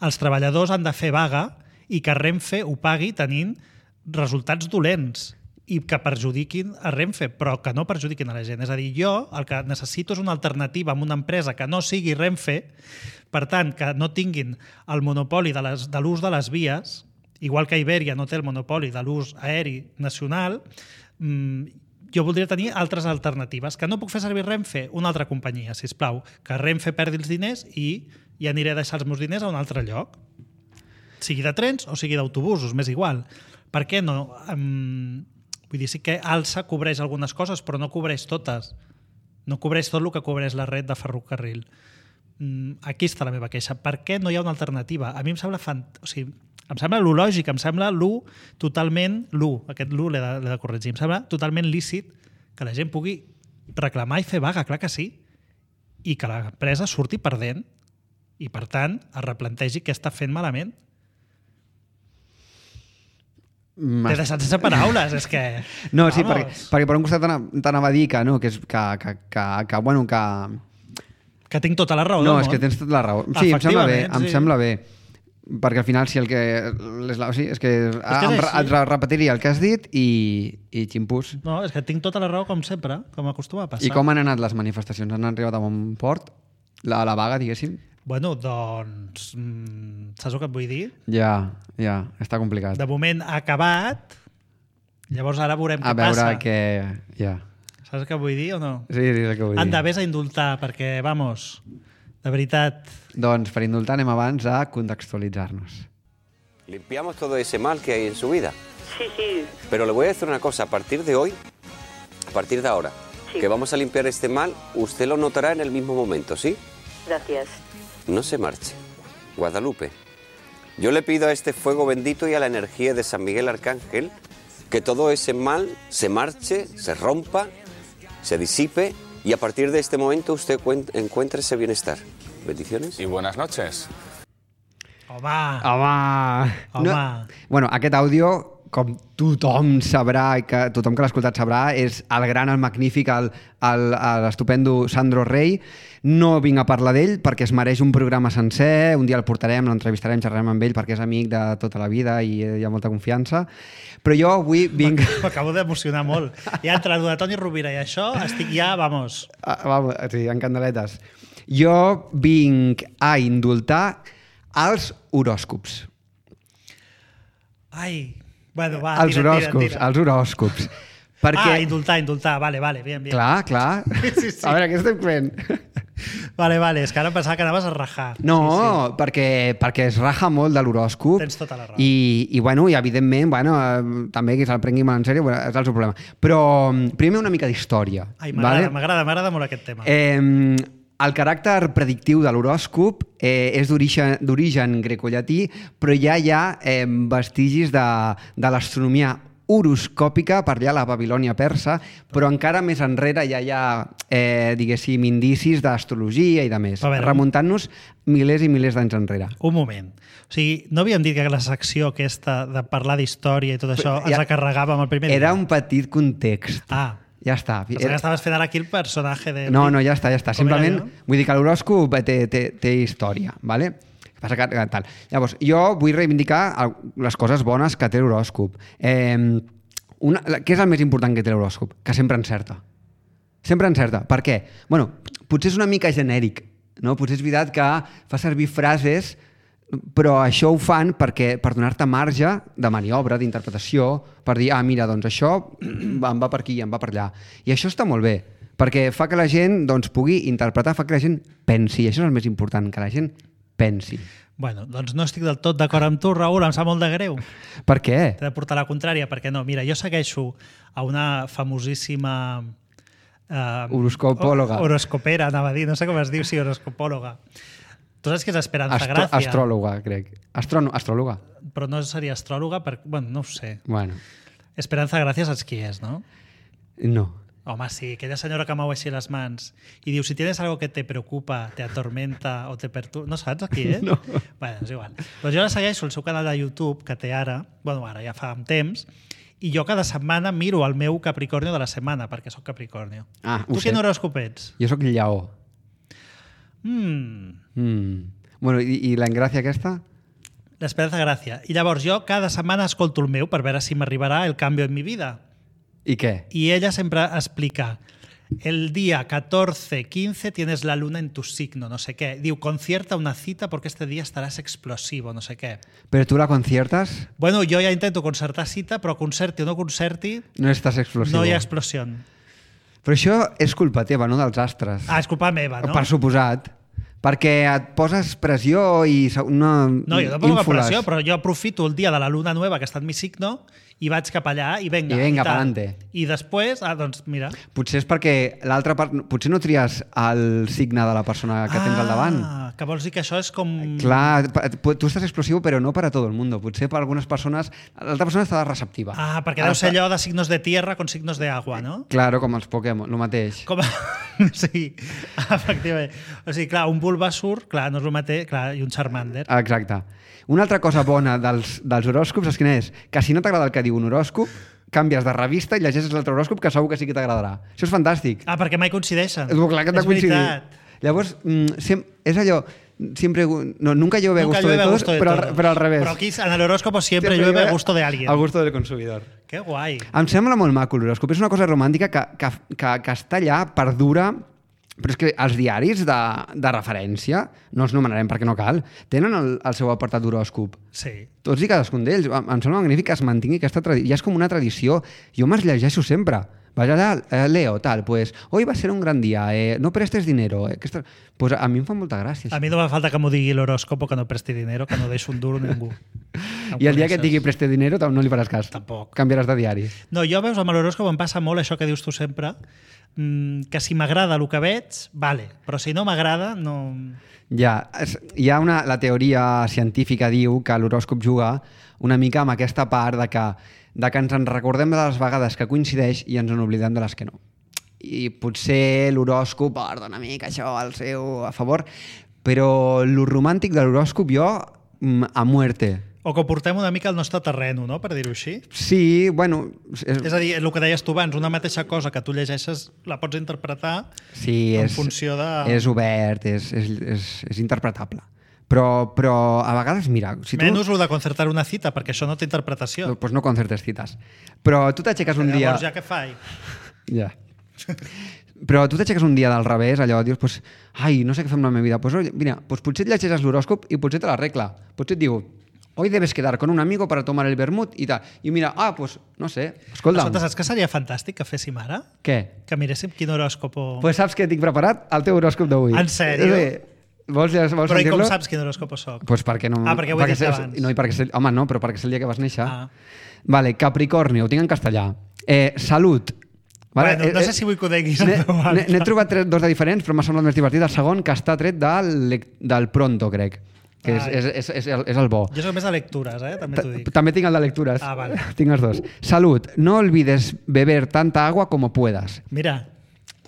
Speaker 2: han de fer vaga i que Renfe ho pagui tenint resultats dolents i que perjudiquin a Renfe, però que no perjudiquin a la gent. És a dir, jo el que necessito és una alternativa amb una empresa que no sigui Renfe, per tant, que no tinguin el monopoli de l'ús de les vies, igual que Iberia no té el monopoli de l'ús aeri nacional, jo voldria tenir altres alternatives. Que no puc fer servir Renfe? Una altra companyia, sisplau. Que Renfe perdi els diners i ja aniré a deixar els meus diners a un altre lloc. Sigui de trens o sigui d'autobusos, m'és igual. Per què no? Vull dir, sí que Alsa cobreix algunes coses, però no cobreix totes. No cobreix tot el que cobreix la red de ferrocarril. Aquí està la meva queixa. Per què no hi ha una alternativa? A mi em sembla em sembla lo lògic, em sembla aquest l'he de corregir, em sembla totalment lícit que la gent pugui reclamar i fer vaga, clar que sí, i que l'empresa surti perdent i, per tant, es replantegi què està fent malament. T'he deixat sense paraules, és que...
Speaker 3: No, sí, perquè per un costat t'anava a dir que, no, que bueno,
Speaker 2: que tinc tota la raó
Speaker 3: no,
Speaker 2: del
Speaker 3: és que
Speaker 2: món.
Speaker 3: tens tota la raó. Sí, em sembla bé,
Speaker 2: Efectivament, sí.
Speaker 3: perquè al final si el que... Sí, és que et repetiria el que has dit i ximpús.
Speaker 2: No, és que tinc tota la raó com sempre, com acostuma a passar.
Speaker 3: I com han anat les manifestacions? Han arribat a bon port? La vaga, diguéssim?
Speaker 2: Bueno, doncs... saps el que et vull dir?
Speaker 3: Ja, està complicat.
Speaker 2: De moment ha acabat, llavors ara veurem què
Speaker 3: A veure
Speaker 2: passa.
Speaker 3: què... Ja.
Speaker 2: Saps el que vull dir o no?
Speaker 3: Sí, és el que vull dir.
Speaker 2: Anda, vés a indultar, perquè, vamos, de veritat...
Speaker 3: Doncs per indultar anem abans a contextualitzar-nos.
Speaker 5: Limpiamos todo ese mal que hay en su vida.
Speaker 6: Sí, sí,
Speaker 5: Pero le voy a decir una cosa, a partir de hoy, a partir de ahora,
Speaker 6: Sí.
Speaker 5: que vamos a limpiar este mal, usted lo notará en el mismo momento, ¿sí?
Speaker 6: gracias.
Speaker 5: No se marche. Guadalupe, yo le pido a este fuego bendito y a la energía de San Miguel Arcángel que todo ese mal se marche, se rompa, se disipe y a partir de este momento usted encuentre ese bienestar. Bendiciones.
Speaker 7: Y buenas noches.
Speaker 2: Home! Home.
Speaker 3: Bueno, aquest àudio, com tothom sabrà, i que tothom que l'ha escoltat sabrà, és el gran, el magnífic, l'estupendo Sandro Rey. No vinc a parlar d'ell perquè es mereix un programa sencer, un dia el portarem, l'entrevistarem, xerrarem amb ell perquè és amic de tota la vida i hi ha molta confiança. Però jo avui vinc...
Speaker 2: M'acabo d'emocionar molt. Ja entre el de Toni Rovira i això estic ja, vamos...
Speaker 3: Vamos, sí, en candeletes. Jo vinc a indultar els horòscops.
Speaker 2: Ai, bueno, va,
Speaker 3: Els horòscops. Perquè...
Speaker 2: indultar, vale, bien.
Speaker 3: Clar.
Speaker 2: Sí.
Speaker 3: A veure, què estem fent?
Speaker 2: Vale, és que ara pensava que anaves a rajar.
Speaker 3: No,
Speaker 2: Sí.
Speaker 3: perquè es raja molt de l'horòscop.
Speaker 2: Tens tota la raó.
Speaker 3: I evidentment, també que se'l prengui molt en sèrio, és el seu problema. Però primer una mica d'història.
Speaker 2: Ai, m'agrada molt aquest tema.
Speaker 3: El caràcter predictiu de l'horòscop és d'origen grecollatí, però ja hi ha vestigis de l'astronomia horoscòpica per allà a la Babilònia persa, però encara més enrere ja hi ha, diguéssim, indicis d'astrologia i de més, remuntant-nos milers i milers d'anys enrere.
Speaker 2: Un moment. O sigui, no havíem dit que la secció aquesta de parlar d'història i tot això ens la carregàvem el primer dia?
Speaker 3: Era un petit context.
Speaker 2: Ah.
Speaker 3: Ja està.
Speaker 2: Pensava que estaves fent ara aquí el personatge de...
Speaker 3: No, ja està. Simplement, vull dir que l'horòscop té història, ¿vale? Passa que tal. Llavors, jo vull reivindicar les coses bones que té l'horòscop. Què és el més important que té l'horòscop? Que sempre encerta. Sempre encerta. Per què? Bueno, potser és una mica genèric, no? Potser és veritat que fa servir frases, però això ho fan per donar-te marge de maniobra, d'interpretació, per dir, mira, doncs això em va per aquí, em va per allà. I això està molt bé, perquè fa que la gent pugui interpretar, fa que la gent pensi. I això és el més important, que la gent pensi.
Speaker 2: Bueno, doncs no estic del tot d'acord amb tu, Raül, em sap molt de greu.
Speaker 3: Per què?
Speaker 2: T'he de portar la contrària, perquè no. Mira, jo segueixo a una famosíssima...
Speaker 3: horoscopòloga.
Speaker 2: Horoscopera, anava a dir, no sé com es diu, sí, horoscopòloga. Tu saps que és Esperanza Gracia?
Speaker 3: Astròloga, crec. Astròloga.
Speaker 2: Però no seria astròloga, bueno, no ho sé.
Speaker 3: Bueno.
Speaker 2: Esperanza Gracia saps qui és, no?
Speaker 3: No.
Speaker 2: Home, sí, aquella senyora que mou així les mans i diu, si tienes algo que te preocupa, te atormenta o te perturba... No saps qui és?
Speaker 3: No.
Speaker 2: Bueno, és igual. Doncs jo la segueixo al seu canal de YouTube, que té ara ja fa un temps, i jo cada setmana miro el meu Capricornio de la setmana, perquè sóc Capricornio. Tu quin horòscop ets?
Speaker 3: Jo sóc Lleó. Bueno, i la engràcia aquesta?
Speaker 2: L'Esperanza Gracia. I llavors jo cada setmana escolto el meu per veure si m'arribarà el canvi en mi vida.
Speaker 3: I què?
Speaker 2: Y ella siempre explica, el día 14-15 tienes la luna en tu signo, no sé qué. Diu, concierta una cita porque este día estarás explosivo, no sé qué.
Speaker 3: Però tu la conciertes?
Speaker 2: Bueno, jo ja intento concertar cita, però concerti o no concerti...
Speaker 3: No estàs explosivo.
Speaker 2: No hi ha explosió.
Speaker 3: Però això és culpa teva, no dels astres.
Speaker 2: És culpa meva, no?
Speaker 3: Per suposat. Perquè et poses pressió i una...
Speaker 2: No, jo no poso pressió, però jo aprofito el dia de la luna nueva que està en mi signo i vaig cap allà i venga.
Speaker 3: I venga, pa'lante.
Speaker 2: I després, doncs mira...
Speaker 3: Potser és perquè l'altra part... Potser no tries el signe de la persona que tens al davant.
Speaker 2: que vols dir que això és com...
Speaker 3: Clar, tu estàs explosiu, però no per a tot el món. Potser per algunes persones... L'altra persona està receptiva.
Speaker 2: Perquè deu ser allò de signos de tierra con signos de agua, no?
Speaker 3: Claro, com els Pokémon, el mateix.
Speaker 2: Sí, efectivament. O sigui, clar, un Bulbasaur, clar, no és el mateix, clar, i un Charmander.
Speaker 3: Exacte. Una altra cosa bona dels horòscops és quina és? Que si no t'agrada el que diu un horòscop, canvies de revista i llegeixes l'altre horòscop que segur que sí que t'agradarà. Això és fantàstic.
Speaker 2: Perquè mai coincideixen.
Speaker 3: Clar que t'ha coincidit. Llavors, és allò... Siempre, no, nunca llueve a gusto de todos, pero al revés.
Speaker 2: Pero aquí en el horóscopo siempre llueve a gusto de alguien.
Speaker 3: Al gusto del consumidor.
Speaker 2: Que guai.
Speaker 3: Em sembla molt maco l'horòscop. És una cosa romàntica que està allà, perdura, però és que els diaris de referència, no els nomenarem perquè no cal, tenen el seu apartat d'horòscop.
Speaker 2: Sí.
Speaker 3: Tots i cadascun d'ells. Em sembla magnífic que es mantingui aquesta tradició. Ja és com una tradició. Jo me'ls llegeixo sempre. Vas allà, Leo, tal, pues hoy va a ser un gran día, no prestes dinero. Pues a mi em fa molta gràcia.
Speaker 2: A mi no me falta que m'ho digui l'horòscopo, que no presti dinero, que no deixo un duro ningú.
Speaker 3: I el dia que et digui preste dinero no li faràs cas.
Speaker 2: Tampoc.
Speaker 3: Canviaràs de diari.
Speaker 2: No, jo veus, amb l'horòscop em passa molt això que dius tu sempre, que si m'agrada el que veig, vale, però si no m'agrada, no...
Speaker 3: Ja, hi ha la teoria científica diu que l'horòscop juga una mica amb aquesta part de que ens en recordem de les vegades que coincideix i ens en oblidem de les que no. I potser l'horòscop porta una mica això al seu a favor, però el romàntic de l'horòscop jo a muerte.
Speaker 2: O que ho portem una mica al nostre terreno, no?, per dir-ho així.
Speaker 3: Sí, bueno...
Speaker 2: És a dir, el que deies tu abans, una mateixa cosa que tu llegeixes la pots interpretar en funció de...
Speaker 3: És obert, és interpretable. Però a vegades, mira... Si
Speaker 2: menys el de concertar una cita, perquè això no té interpretació.
Speaker 3: Doncs no concertes cites. Però tu t'aixeques un dia...
Speaker 2: Llavors ja què fai?
Speaker 3: Ja. Però tu t'aixeques un dia del revés, allò, dius, pues, ai, no sé què fer amb la meva vida. Pues, mira, pues potser et llegeixes l'horòscop i potser te l'arregla. Potser et diu, hoy debes quedar con un amigo para tomar el vermut i tal. I mira, pues, no sé, escolta'm.
Speaker 2: Escolta, saps que seria fantàstic que féssim ara?
Speaker 3: Què?
Speaker 2: Que miréssim quin horòscop...
Speaker 3: Pues saps què tinc preparat? El teu horòscop d'avui.
Speaker 2: En sèrio?
Speaker 3: Vols
Speaker 2: però i com saps quin horòscop soc?
Speaker 3: Pues perquè no...
Speaker 2: perquè ho he dit abans.
Speaker 3: No, home, no, però perquè és el dia que vas néixer. Vale, Capricorni, ho tinc en castellà. Salut.
Speaker 2: Vale, bueno, no sé si vull que ho deguis en veu alta.
Speaker 3: N'he trobat dos de diferents, però m'ha semblat més divertit. El segon, que està tret del Pronto, crec. Que és el bo.
Speaker 2: Jo soc més de lectures, també t'ho dic.
Speaker 3: També tinc el de lectures.
Speaker 2: Vale.
Speaker 3: Tinc els dos. Salut. No olvides beber tanta agua como puedas.
Speaker 2: Mira.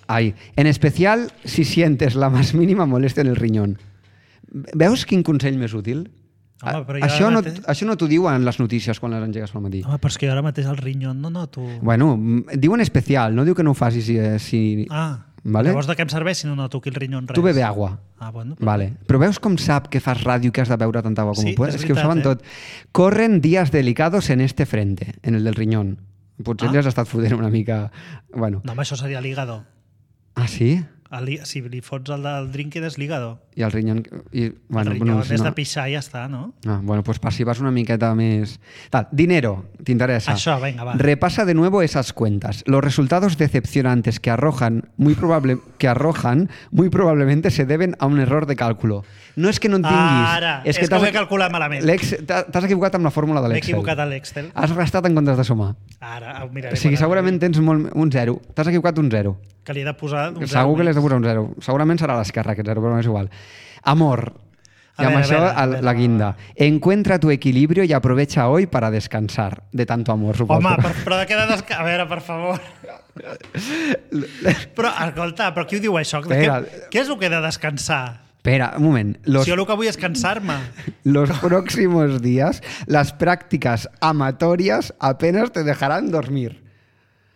Speaker 3: Ai, en especial si sientes la más mínima molestia en el riñón. Veus quin consell més útil?
Speaker 2: Home, però
Speaker 3: això no t'ho diuen les notícies quan les engegues pel matí.
Speaker 2: Home, però és que jo ara mateix el riñón no noto...
Speaker 3: Bueno, diu en especial, no diu que no ho facis si... Vale?
Speaker 2: Llavors de què em serveix si no noto aquí el riñón res?
Speaker 3: Tu bebe agua.
Speaker 2: Bueno.
Speaker 3: Vale. Però veus com sap que fas ràdio i que has de beure tanta agua com puedes? És que ho saben tot. Corren días delicados en este frente, en el del riñón. Potser li has estat fotent una mica... Bueno.
Speaker 2: No, home, això seria l'hígado.
Speaker 3: Ah, sí?
Speaker 2: Si li fots el del drinking és l'hígado.
Speaker 3: I el riñón...
Speaker 2: Bueno, el riñón és de pixar i ja està, no?
Speaker 3: Bueno, pues per si vas una miqueta més... Dinero, t'interessa.
Speaker 2: Això, venga, va.
Speaker 3: Repasa de nuevo esas cuentas. Los resultados decepcionantes que arrojan muy probablemente se deben a un error de cálculo. No és que no en tinguis...
Speaker 2: Ara, és que ho he calculat malament.
Speaker 3: T'has equivocat amb la fórmula de l'Excel.
Speaker 2: M'he equivocat a l'Excel.
Speaker 3: Has restat en comptes de sumar.
Speaker 2: Ara, ho miraré.
Speaker 3: O sigui, segurament tens un 0. T'has equivocat un 0.
Speaker 2: Que li he de posar un 0.
Speaker 3: Segur que li has de posar un 0. Segurament serà a l'esquerra aquest 0, però no és igual. Amor. I amb això la guinda. Encuentra tu equilibrio y aprovecha hoy para descansar. De tanto amor, suposo.
Speaker 2: Home, però de què de descansar? A veure, per favor. Però, escolta, però qui ho diu això? Què és el que he de descansar?
Speaker 3: Espera, un moment.
Speaker 2: Si jo el que vull és cansar-me.
Speaker 3: Los próximos días, las prácticas amatorias apenas te dejarán dormir.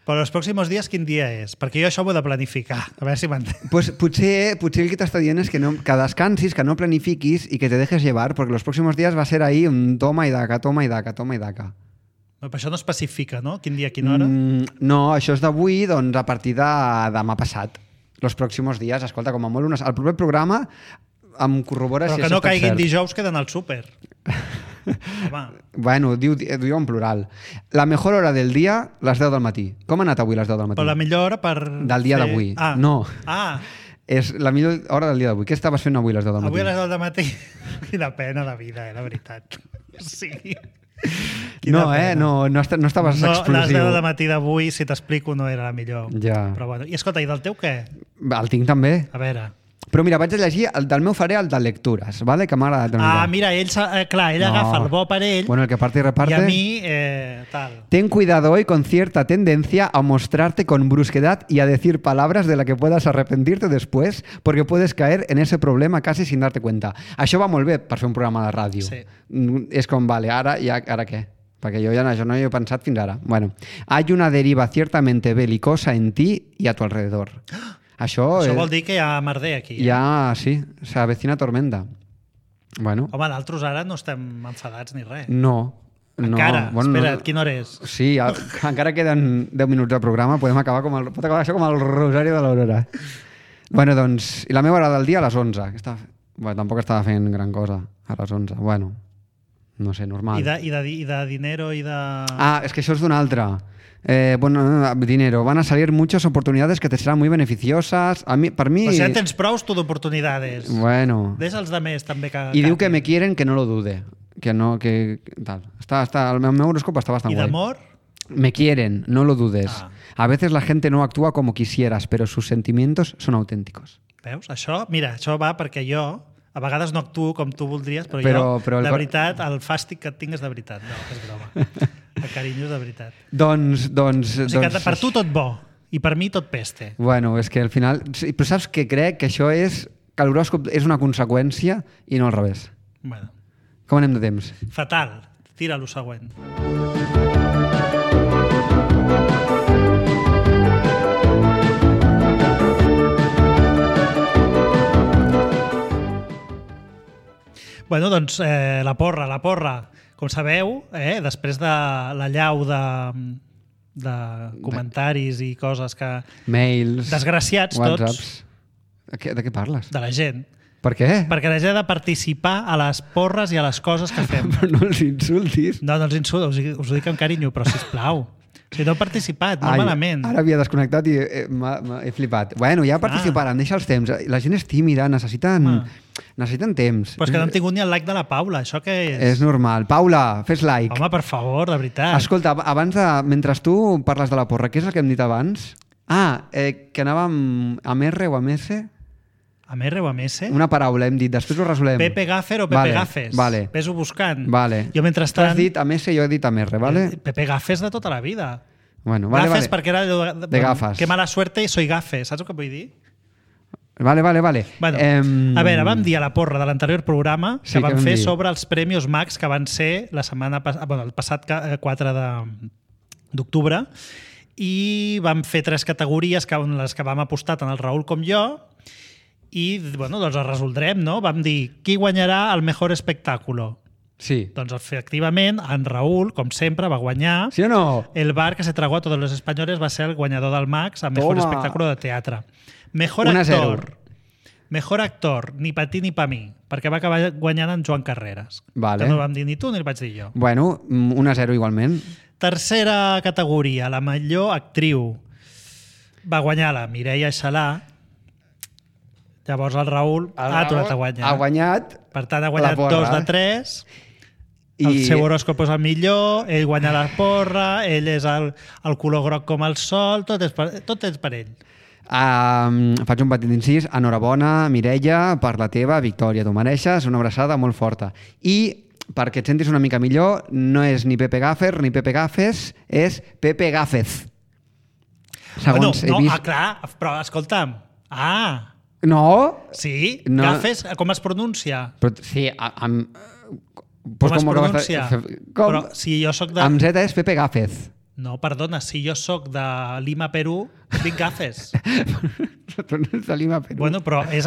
Speaker 2: Però els pròxims dies quin dia és? Perquè jo això ho he de planificar. A veure si m'entens.
Speaker 3: Pues potser el que t'està dient és que descansis, que no planifiquis i que te dejes llevar, perquè els pròxims dies va ser ahí un toma i daca, toma i daca, toma i daca.
Speaker 2: Però això no especifica, no? Quin dia, quina hora?
Speaker 3: No, això és d'avui, doncs a partir de demà passat. Els pròxims dies, escolta, com a molt el proper programa em corrobora
Speaker 2: però
Speaker 3: si
Speaker 2: que no caiguin
Speaker 3: cert.
Speaker 2: Dijous que d'anar al súper. Home.
Speaker 3: Bueno, diu en plural. La mejor hora del dia, les 10 del matí. Com ha anat avui les 10 del matí?
Speaker 2: Però la millor hora per...
Speaker 3: Del dia d'avui. No. És la millor hora del dia d'avui. Què estaves fent avui les 10 del matí?
Speaker 2: Avui a les 10 del matí? Quina pena de vida, la veritat. Sí.
Speaker 3: No, no estaves explosiu.
Speaker 2: Les 10 del matí d'avui, si t'explico, no era la millor.
Speaker 3: Ja.
Speaker 2: Però bueno. I escolta, i del teu què?
Speaker 3: El tinc també.
Speaker 2: A veure.
Speaker 3: Però mira, vaig a llegir el del meu faré, el de lectures, ¿vale? Que m'ha agradat una mica.
Speaker 2: Mira, ell agafa el bo per ell
Speaker 3: Bueno, el que parte y reparte.
Speaker 2: i a mi, tal.
Speaker 3: Ten cuidado hoy con cierta tendencia a mostrarte con brusquedad y a decir palabras de las que puedas arrepentirte después, porque puedes caer en ese problema casi sin darte cuenta. Això va molt bé per fer un programa de ràdio.
Speaker 2: Sí.
Speaker 3: És com, vale, ara què? Perquè jo ja això no hi he pensat fins ara. Bueno, hay una deriva ciertamente belicosa en ti y a tu alrededor. Això
Speaker 2: vol dir que hi ha merder aquí.
Speaker 3: Ja, sí, s'avecina tormenta. Bueno.
Speaker 2: Home, d'altres ara no estem enfadats ni res.
Speaker 3: No.
Speaker 2: Encara?
Speaker 3: Bueno,
Speaker 2: espera't, quina hora és?
Speaker 3: Sí, encara queden 10 minuts de programa, pot acabar això com el Rosari de l'Aurora. Bueno, doncs, i la meva hora del dia a les 11. Bueno, tampoc estava fent gran cosa a les 11. Bueno, no sé, normal.
Speaker 2: I de dinero i de...
Speaker 3: És que això és d'una altra. Dinero. Van a salir muchas oportunidades que te serán muy beneficiosas. Per mi...
Speaker 2: O sigui, tens prous tu d'oportunitats.
Speaker 3: Bueno.
Speaker 2: Deixa els de més també que...
Speaker 3: I diu que me quieren, que no lo dude. Que no, que... Tal. El meu horòscop està bastant guai.
Speaker 2: I d'amor?
Speaker 3: Me quieren, no lo dudes. A veces la gente no actúa como quisieras, pero sus sentimientos son auténticos.
Speaker 2: Veus? Això va perquè jo a vegades no actuo com tu voldries, però jo, de veritat, el fàstic que et tinc és de veritat. No, és broma. El carinyo és de veritat.
Speaker 3: Doncs...
Speaker 2: O sigui que per tu tot bo, i per mi tot peste.
Speaker 3: Bueno, és que al final... Però saps que crec que això és... Que l'horòscop és una conseqüència i no al revés.
Speaker 2: Bueno.
Speaker 3: Com anem de temps?
Speaker 2: Fatal. Tira lo següent. Bueno, doncs la porra. Com sabeu, després de la llau de comentaris i coses que...
Speaker 3: Mails...
Speaker 2: Desgraciats
Speaker 3: WhatsApps.
Speaker 2: tots.
Speaker 3: De què parles?
Speaker 2: De la gent.
Speaker 3: Per què?
Speaker 2: Perquè la gent ha de participar a les porres i a les coses que fem.
Speaker 3: Però no els insultis.
Speaker 2: No els insulto, us ho dic amb carinyo, però sisplau. Si no heu participat, no malament.
Speaker 3: Ara havia desconnectat i he flipat. Bueno, ja participaran, deixa els temps. La gent és tímida, necessiten temps.
Speaker 2: Però és que no hem tingut ni el like de la Paula, això què és?
Speaker 3: És normal. Paula, fes like.
Speaker 2: Home, per favor, de veritat.
Speaker 3: Escolta, mentre tu parles de la porra, què és el que hem dit abans? Que anàvem amb R o amb S?
Speaker 2: Amb R o amb S?
Speaker 3: Una paraula, hem dit, després ho resolem.
Speaker 2: Pepe Gaffer o Pepe Gafes?
Speaker 3: Vale.
Speaker 2: Ves-ho buscant.
Speaker 3: Vale.
Speaker 2: Jo mentrestant...
Speaker 3: Tu has dit amb S i jo he dit amb R, vale?
Speaker 2: Pepe Gafes de tota la vida.
Speaker 3: Bueno,
Speaker 2: gafes perquè era
Speaker 3: de gafes.
Speaker 2: Que mala suerte soy gafe, saps el que vull dir?
Speaker 3: Vale.
Speaker 2: Bueno, a veure, vam dir a la porra de l'anterior programa que vam fer sobre els Premios Max que van ser la setmana el passat 4 d'octubre i vam fer 3 categories les que vam apostar tant el Raül com jo i bueno, doncs els resoldrem, no? Vam dir qui guanyarà el mejor espectáculo.
Speaker 3: Sí.
Speaker 2: Doncs efectivament, en Raül, com sempre, va guanyar.
Speaker 3: ¿Sí o no?
Speaker 2: El bar que se tragó a todos los españoles va ser el guanyador del Max a mejor espectáculo de teatre. Mejor actor. Mejor actor, ni pa ti ni pa mi, perquè va acabar guanyant en Joan Carreras.
Speaker 3: Vale.
Speaker 2: Que no vam dir ni tu ni el vaig dir jo.
Speaker 3: Bueno, 1-0 igualment.
Speaker 2: Tercera categoria, la millor actriu. Va guanyar la Mireia Xalà. Llavors el Raül ha tornat a guanyar.
Speaker 3: Ha guanyat.
Speaker 2: Per tant, ha guanyat 2 de 3. El seu horòscop és el millor, ell guanya la porra, ell és el color groc com el sol, tot és per ell.
Speaker 3: Faig un petit incís. Enhorabona, Mireia, per la teva victòria. Tu mereixes una abraçada molt forta. I perquè et sentis una mica millor, no és ni Pepe Gaffer ni Pepe Gafes, és Pepe Gafez. Segons he vist...
Speaker 2: clar, però escolta'm.
Speaker 3: No?
Speaker 2: Sí?
Speaker 3: No.
Speaker 2: Gafes, com es pronuncia?
Speaker 3: Però, sí,
Speaker 2: com es pronuncia? Però si jo soc de...
Speaker 3: Amb Z és Pepe Gafez.
Speaker 2: No, perdona, si jo soc de Lima, Perú, dic Gafes.
Speaker 3: Però no és de Lima, Perú.
Speaker 2: Bueno, però és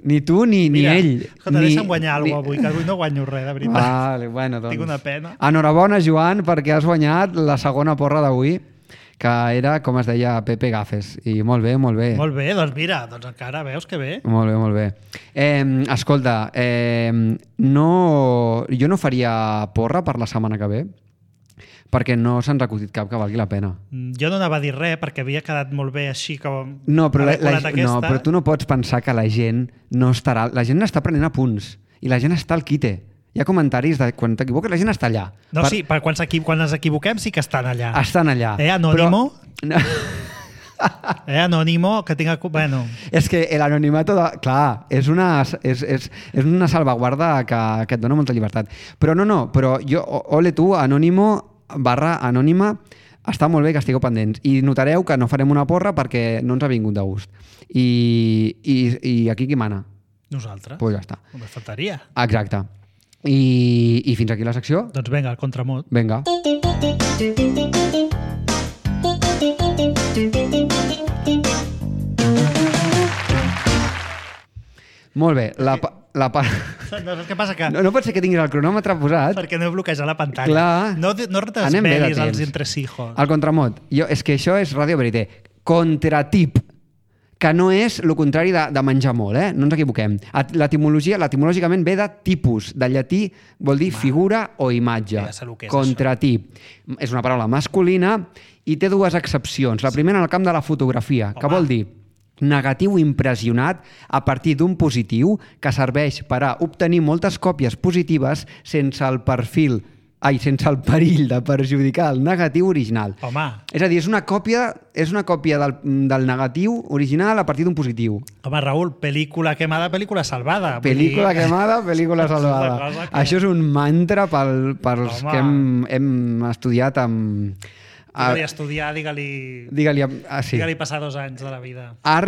Speaker 3: Ni tu ni ell.
Speaker 2: Escolta, deixa'm guanyar alguna cosa avui, que avui no guanyo res, de veritat.
Speaker 3: Vale, bueno, doncs...
Speaker 2: Tinc una pena.
Speaker 3: Enhorabona, Joan, perquè has guanyat la segona porra d'avui, que era, com es deia, Pepe Gafes. I molt bé, molt bé.
Speaker 2: Molt bé, doncs mira, doncs encara veus que bé.
Speaker 3: Molt bé, molt bé. Escolta, jo no faria porra per la setmana que ve, perquè no se'ns ha acudit cap que valgui la pena.
Speaker 2: Jo no anava a dir res, perquè havia quedat molt bé així com...
Speaker 3: No, però tu no pots pensar que la gent no estarà... La gent està prenent apunts i la gent està al quite. Hi ha comentaris de quan t'equivoques, la gent està allà.
Speaker 2: No, sí, quan ens equivoquem sí que estan allà.
Speaker 3: Estan allà.
Speaker 2: Anònimo?
Speaker 3: Però...
Speaker 2: Anònimo, que tinga... Bueno,
Speaker 3: És que l'anonimato, clar, és una salvaguarda que et dona molta llibertat. Però però jo, ole tu, anònimo/anònima, està molt bé que estigueu pendents. I notareu que no farem una porra perquè no ens ha vingut de gust. I aquí qui mana?
Speaker 2: nosaltres.
Speaker 3: Pues ja està.
Speaker 2: Només faltaria.
Speaker 3: Exacte. I fins aquí la secció?
Speaker 2: Doncs vinga, el contramot.
Speaker 3: Vinga. Molt bé.
Speaker 2: Saps què passa? Que...
Speaker 3: No pot ser que tinguis el cronòmetre posat.
Speaker 2: Perquè no he bloquejat la pantalla.
Speaker 3: Clar.
Speaker 2: No
Speaker 3: Anem bé de
Speaker 2: desvelis els
Speaker 3: temps.
Speaker 2: entresijos.
Speaker 3: El contramot. És que això és Radio Verité. Contratip. Que no és el contrari de menjar molt, no ens equivoquem. Etimològicament ve de tipus, del llatí vol dir figura o imatge.
Speaker 2: Ja sé el que és
Speaker 3: Contratip. És una paraula masculina i té dues accepcions. La primera en el camp de la fotografia, que vol dir negatiu impressionat a partir d'un positiu que serveix per a obtenir moltes còpies positives sense el perill de perjudicar el negatiu original.
Speaker 2: Home.
Speaker 3: És a dir, és una còpia del negatiu original a partir d'un positiu.
Speaker 2: Home, Raül, pel·lícula quemada, pel·lícula salvada.
Speaker 3: Pel·lícula quemada, pel·lícula salvada. Això és un mantra pels que hem estudiat amb...
Speaker 2: Digue-li estudiar, digue-li passar 2 anys de la vida. La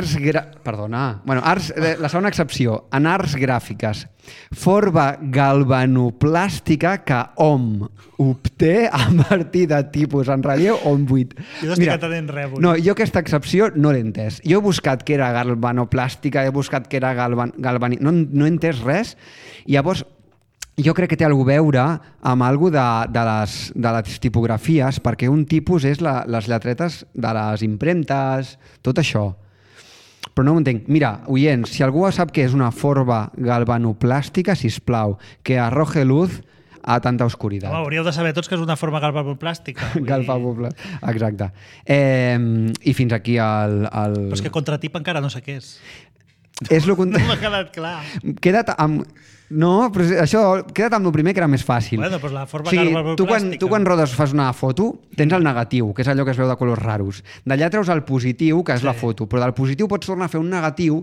Speaker 2: segona excepció, en arts gràfiques, forma galvanoplàstica que hom obté a partir de tipus en relleu o en buit. Jo no estic atenent res avui.
Speaker 3: No, jo aquesta excepció no l'he entès. Jo he buscat que era galvanoplàstica, he buscat que era no he entès res. I llavors, jo crec que té alguna a veure amb alguna de les tipografies, perquè un tipus és les lletretes de les impremtes, tot això. Però no ho entenc. Mira, oients, si algú sap què és una forma galvanoplàstica, sisplau, que arroje luz a tanta oscuritat.
Speaker 2: Home, hauríeu de saber tots que és una forma galvanoplàstica.
Speaker 3: Galvanoplàstica, exacte. I fins aquí el...
Speaker 2: Però és que contratip encara no sé què és.
Speaker 3: És lo
Speaker 2: No m'ha quedat clar.
Speaker 3: Queda't amb... No, però això, queda't amb el primer que era més fàcil.
Speaker 2: Bueno, doncs la forma galvanoplàstica.
Speaker 3: Tu quan rodes fas una foto, tens el negatiu, que és allò que es veu de colors raros. D'allà treus el positiu, que és la foto, però del positiu pots tornar a fer un negatiu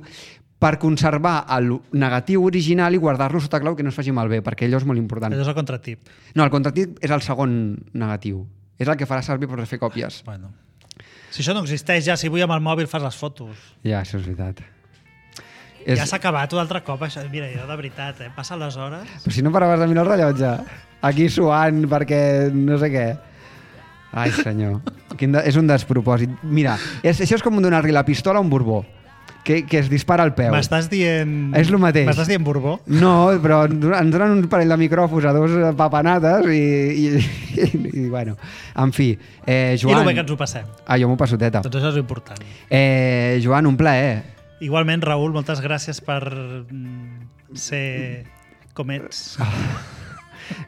Speaker 3: per conservar el negatiu original i guardar-lo sota clau que no es faci malbé, perquè allò és molt important.
Speaker 2: Allò és el contratip.
Speaker 3: No, el contratip és el segon negatiu. És el que farà servir per fer còpies.
Speaker 2: Bueno. Si això no existeix ja, si vull amb el mòbil fas les fotos.
Speaker 3: Ja, això és veritat.
Speaker 2: Ja s'ha acabat un altre cop, això. Mira, jo de veritat, passa les hores...
Speaker 3: Però si no paraves de mirar el rellotge. Aquí suant perquè no sé què. Ai, senyor. És un despropòsit. Mira, això és com donar-li la pistola a un Borbó, que es dispara al peu.
Speaker 2: M'estàs dient...
Speaker 3: És el mateix.
Speaker 2: M'estàs dient Borbó?
Speaker 3: No, però ens donen un parell de micròfons a 2 papanates i bueno, en fi. Joan...
Speaker 2: I el bé que ens ho passem.
Speaker 3: Jo m'ho passo teta.
Speaker 2: Doncs això és important.
Speaker 3: Joan, un plaer.
Speaker 2: Igualment, Raül, moltes gràcies per ser com ets.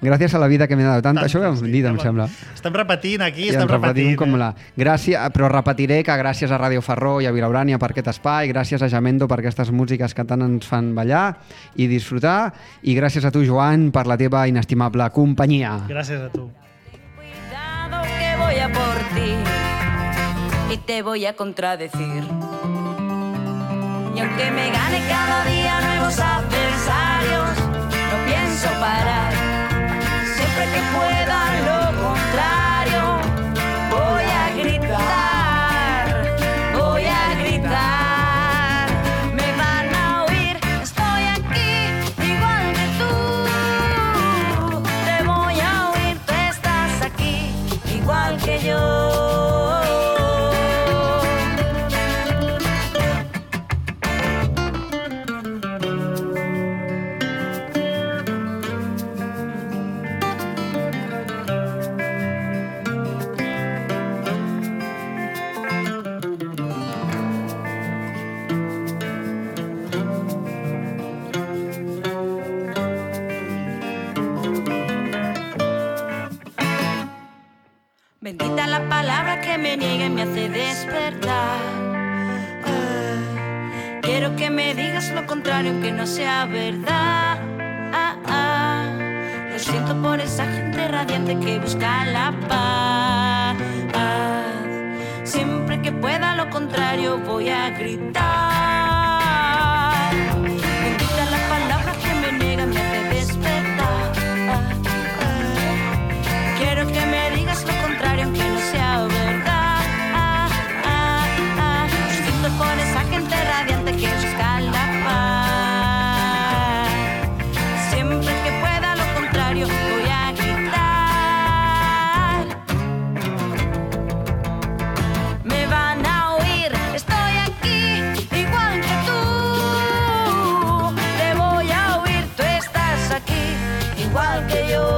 Speaker 3: Gràcies a la vida que m'he donat tant. Això ho hem dit, em sembla.
Speaker 2: Estem repetint aquí,
Speaker 3: estem repetint. Però repetiré que gràcies a Ràdio Ferró i a Vilaurània per aquest espai, gràcies a Jamendo per aquestes músiques que tant ens fan ballar i disfrutar, i gràcies a tu, Joan, per la teva inestimable companyia.
Speaker 2: Gràcies a tu.
Speaker 6: Cuidado que voy a por ti y te voy a contradecir. Y aunque me gane cada día nuevos adversarios, no pienso parar. Siempre que pueda lo contrario, voy a gritar, voy a gritar. Me van a oír, estoy aquí, igual que tú. Te voy a oír, tú estás aquí, igual que yo. Bendita la palabra que me niega y me hace despertar. Quiero que me digas lo contrario aunque no sea verdad. Lo siento por esa gente radiante que busca la paz. Siempre Siempre que pueda lo contrario voy a gritar. Bendita la palabra que me niega, me hace despertar. Quiero que me digas lo contrario aunque no sea verdad. Siento por esa gente radiante que busca la paz. Siempre que pueda lo contrario voy a gritar. Me van a oír, estoy aquí, igual que tú. Te voy a oír, tú estás aquí, igual que yo.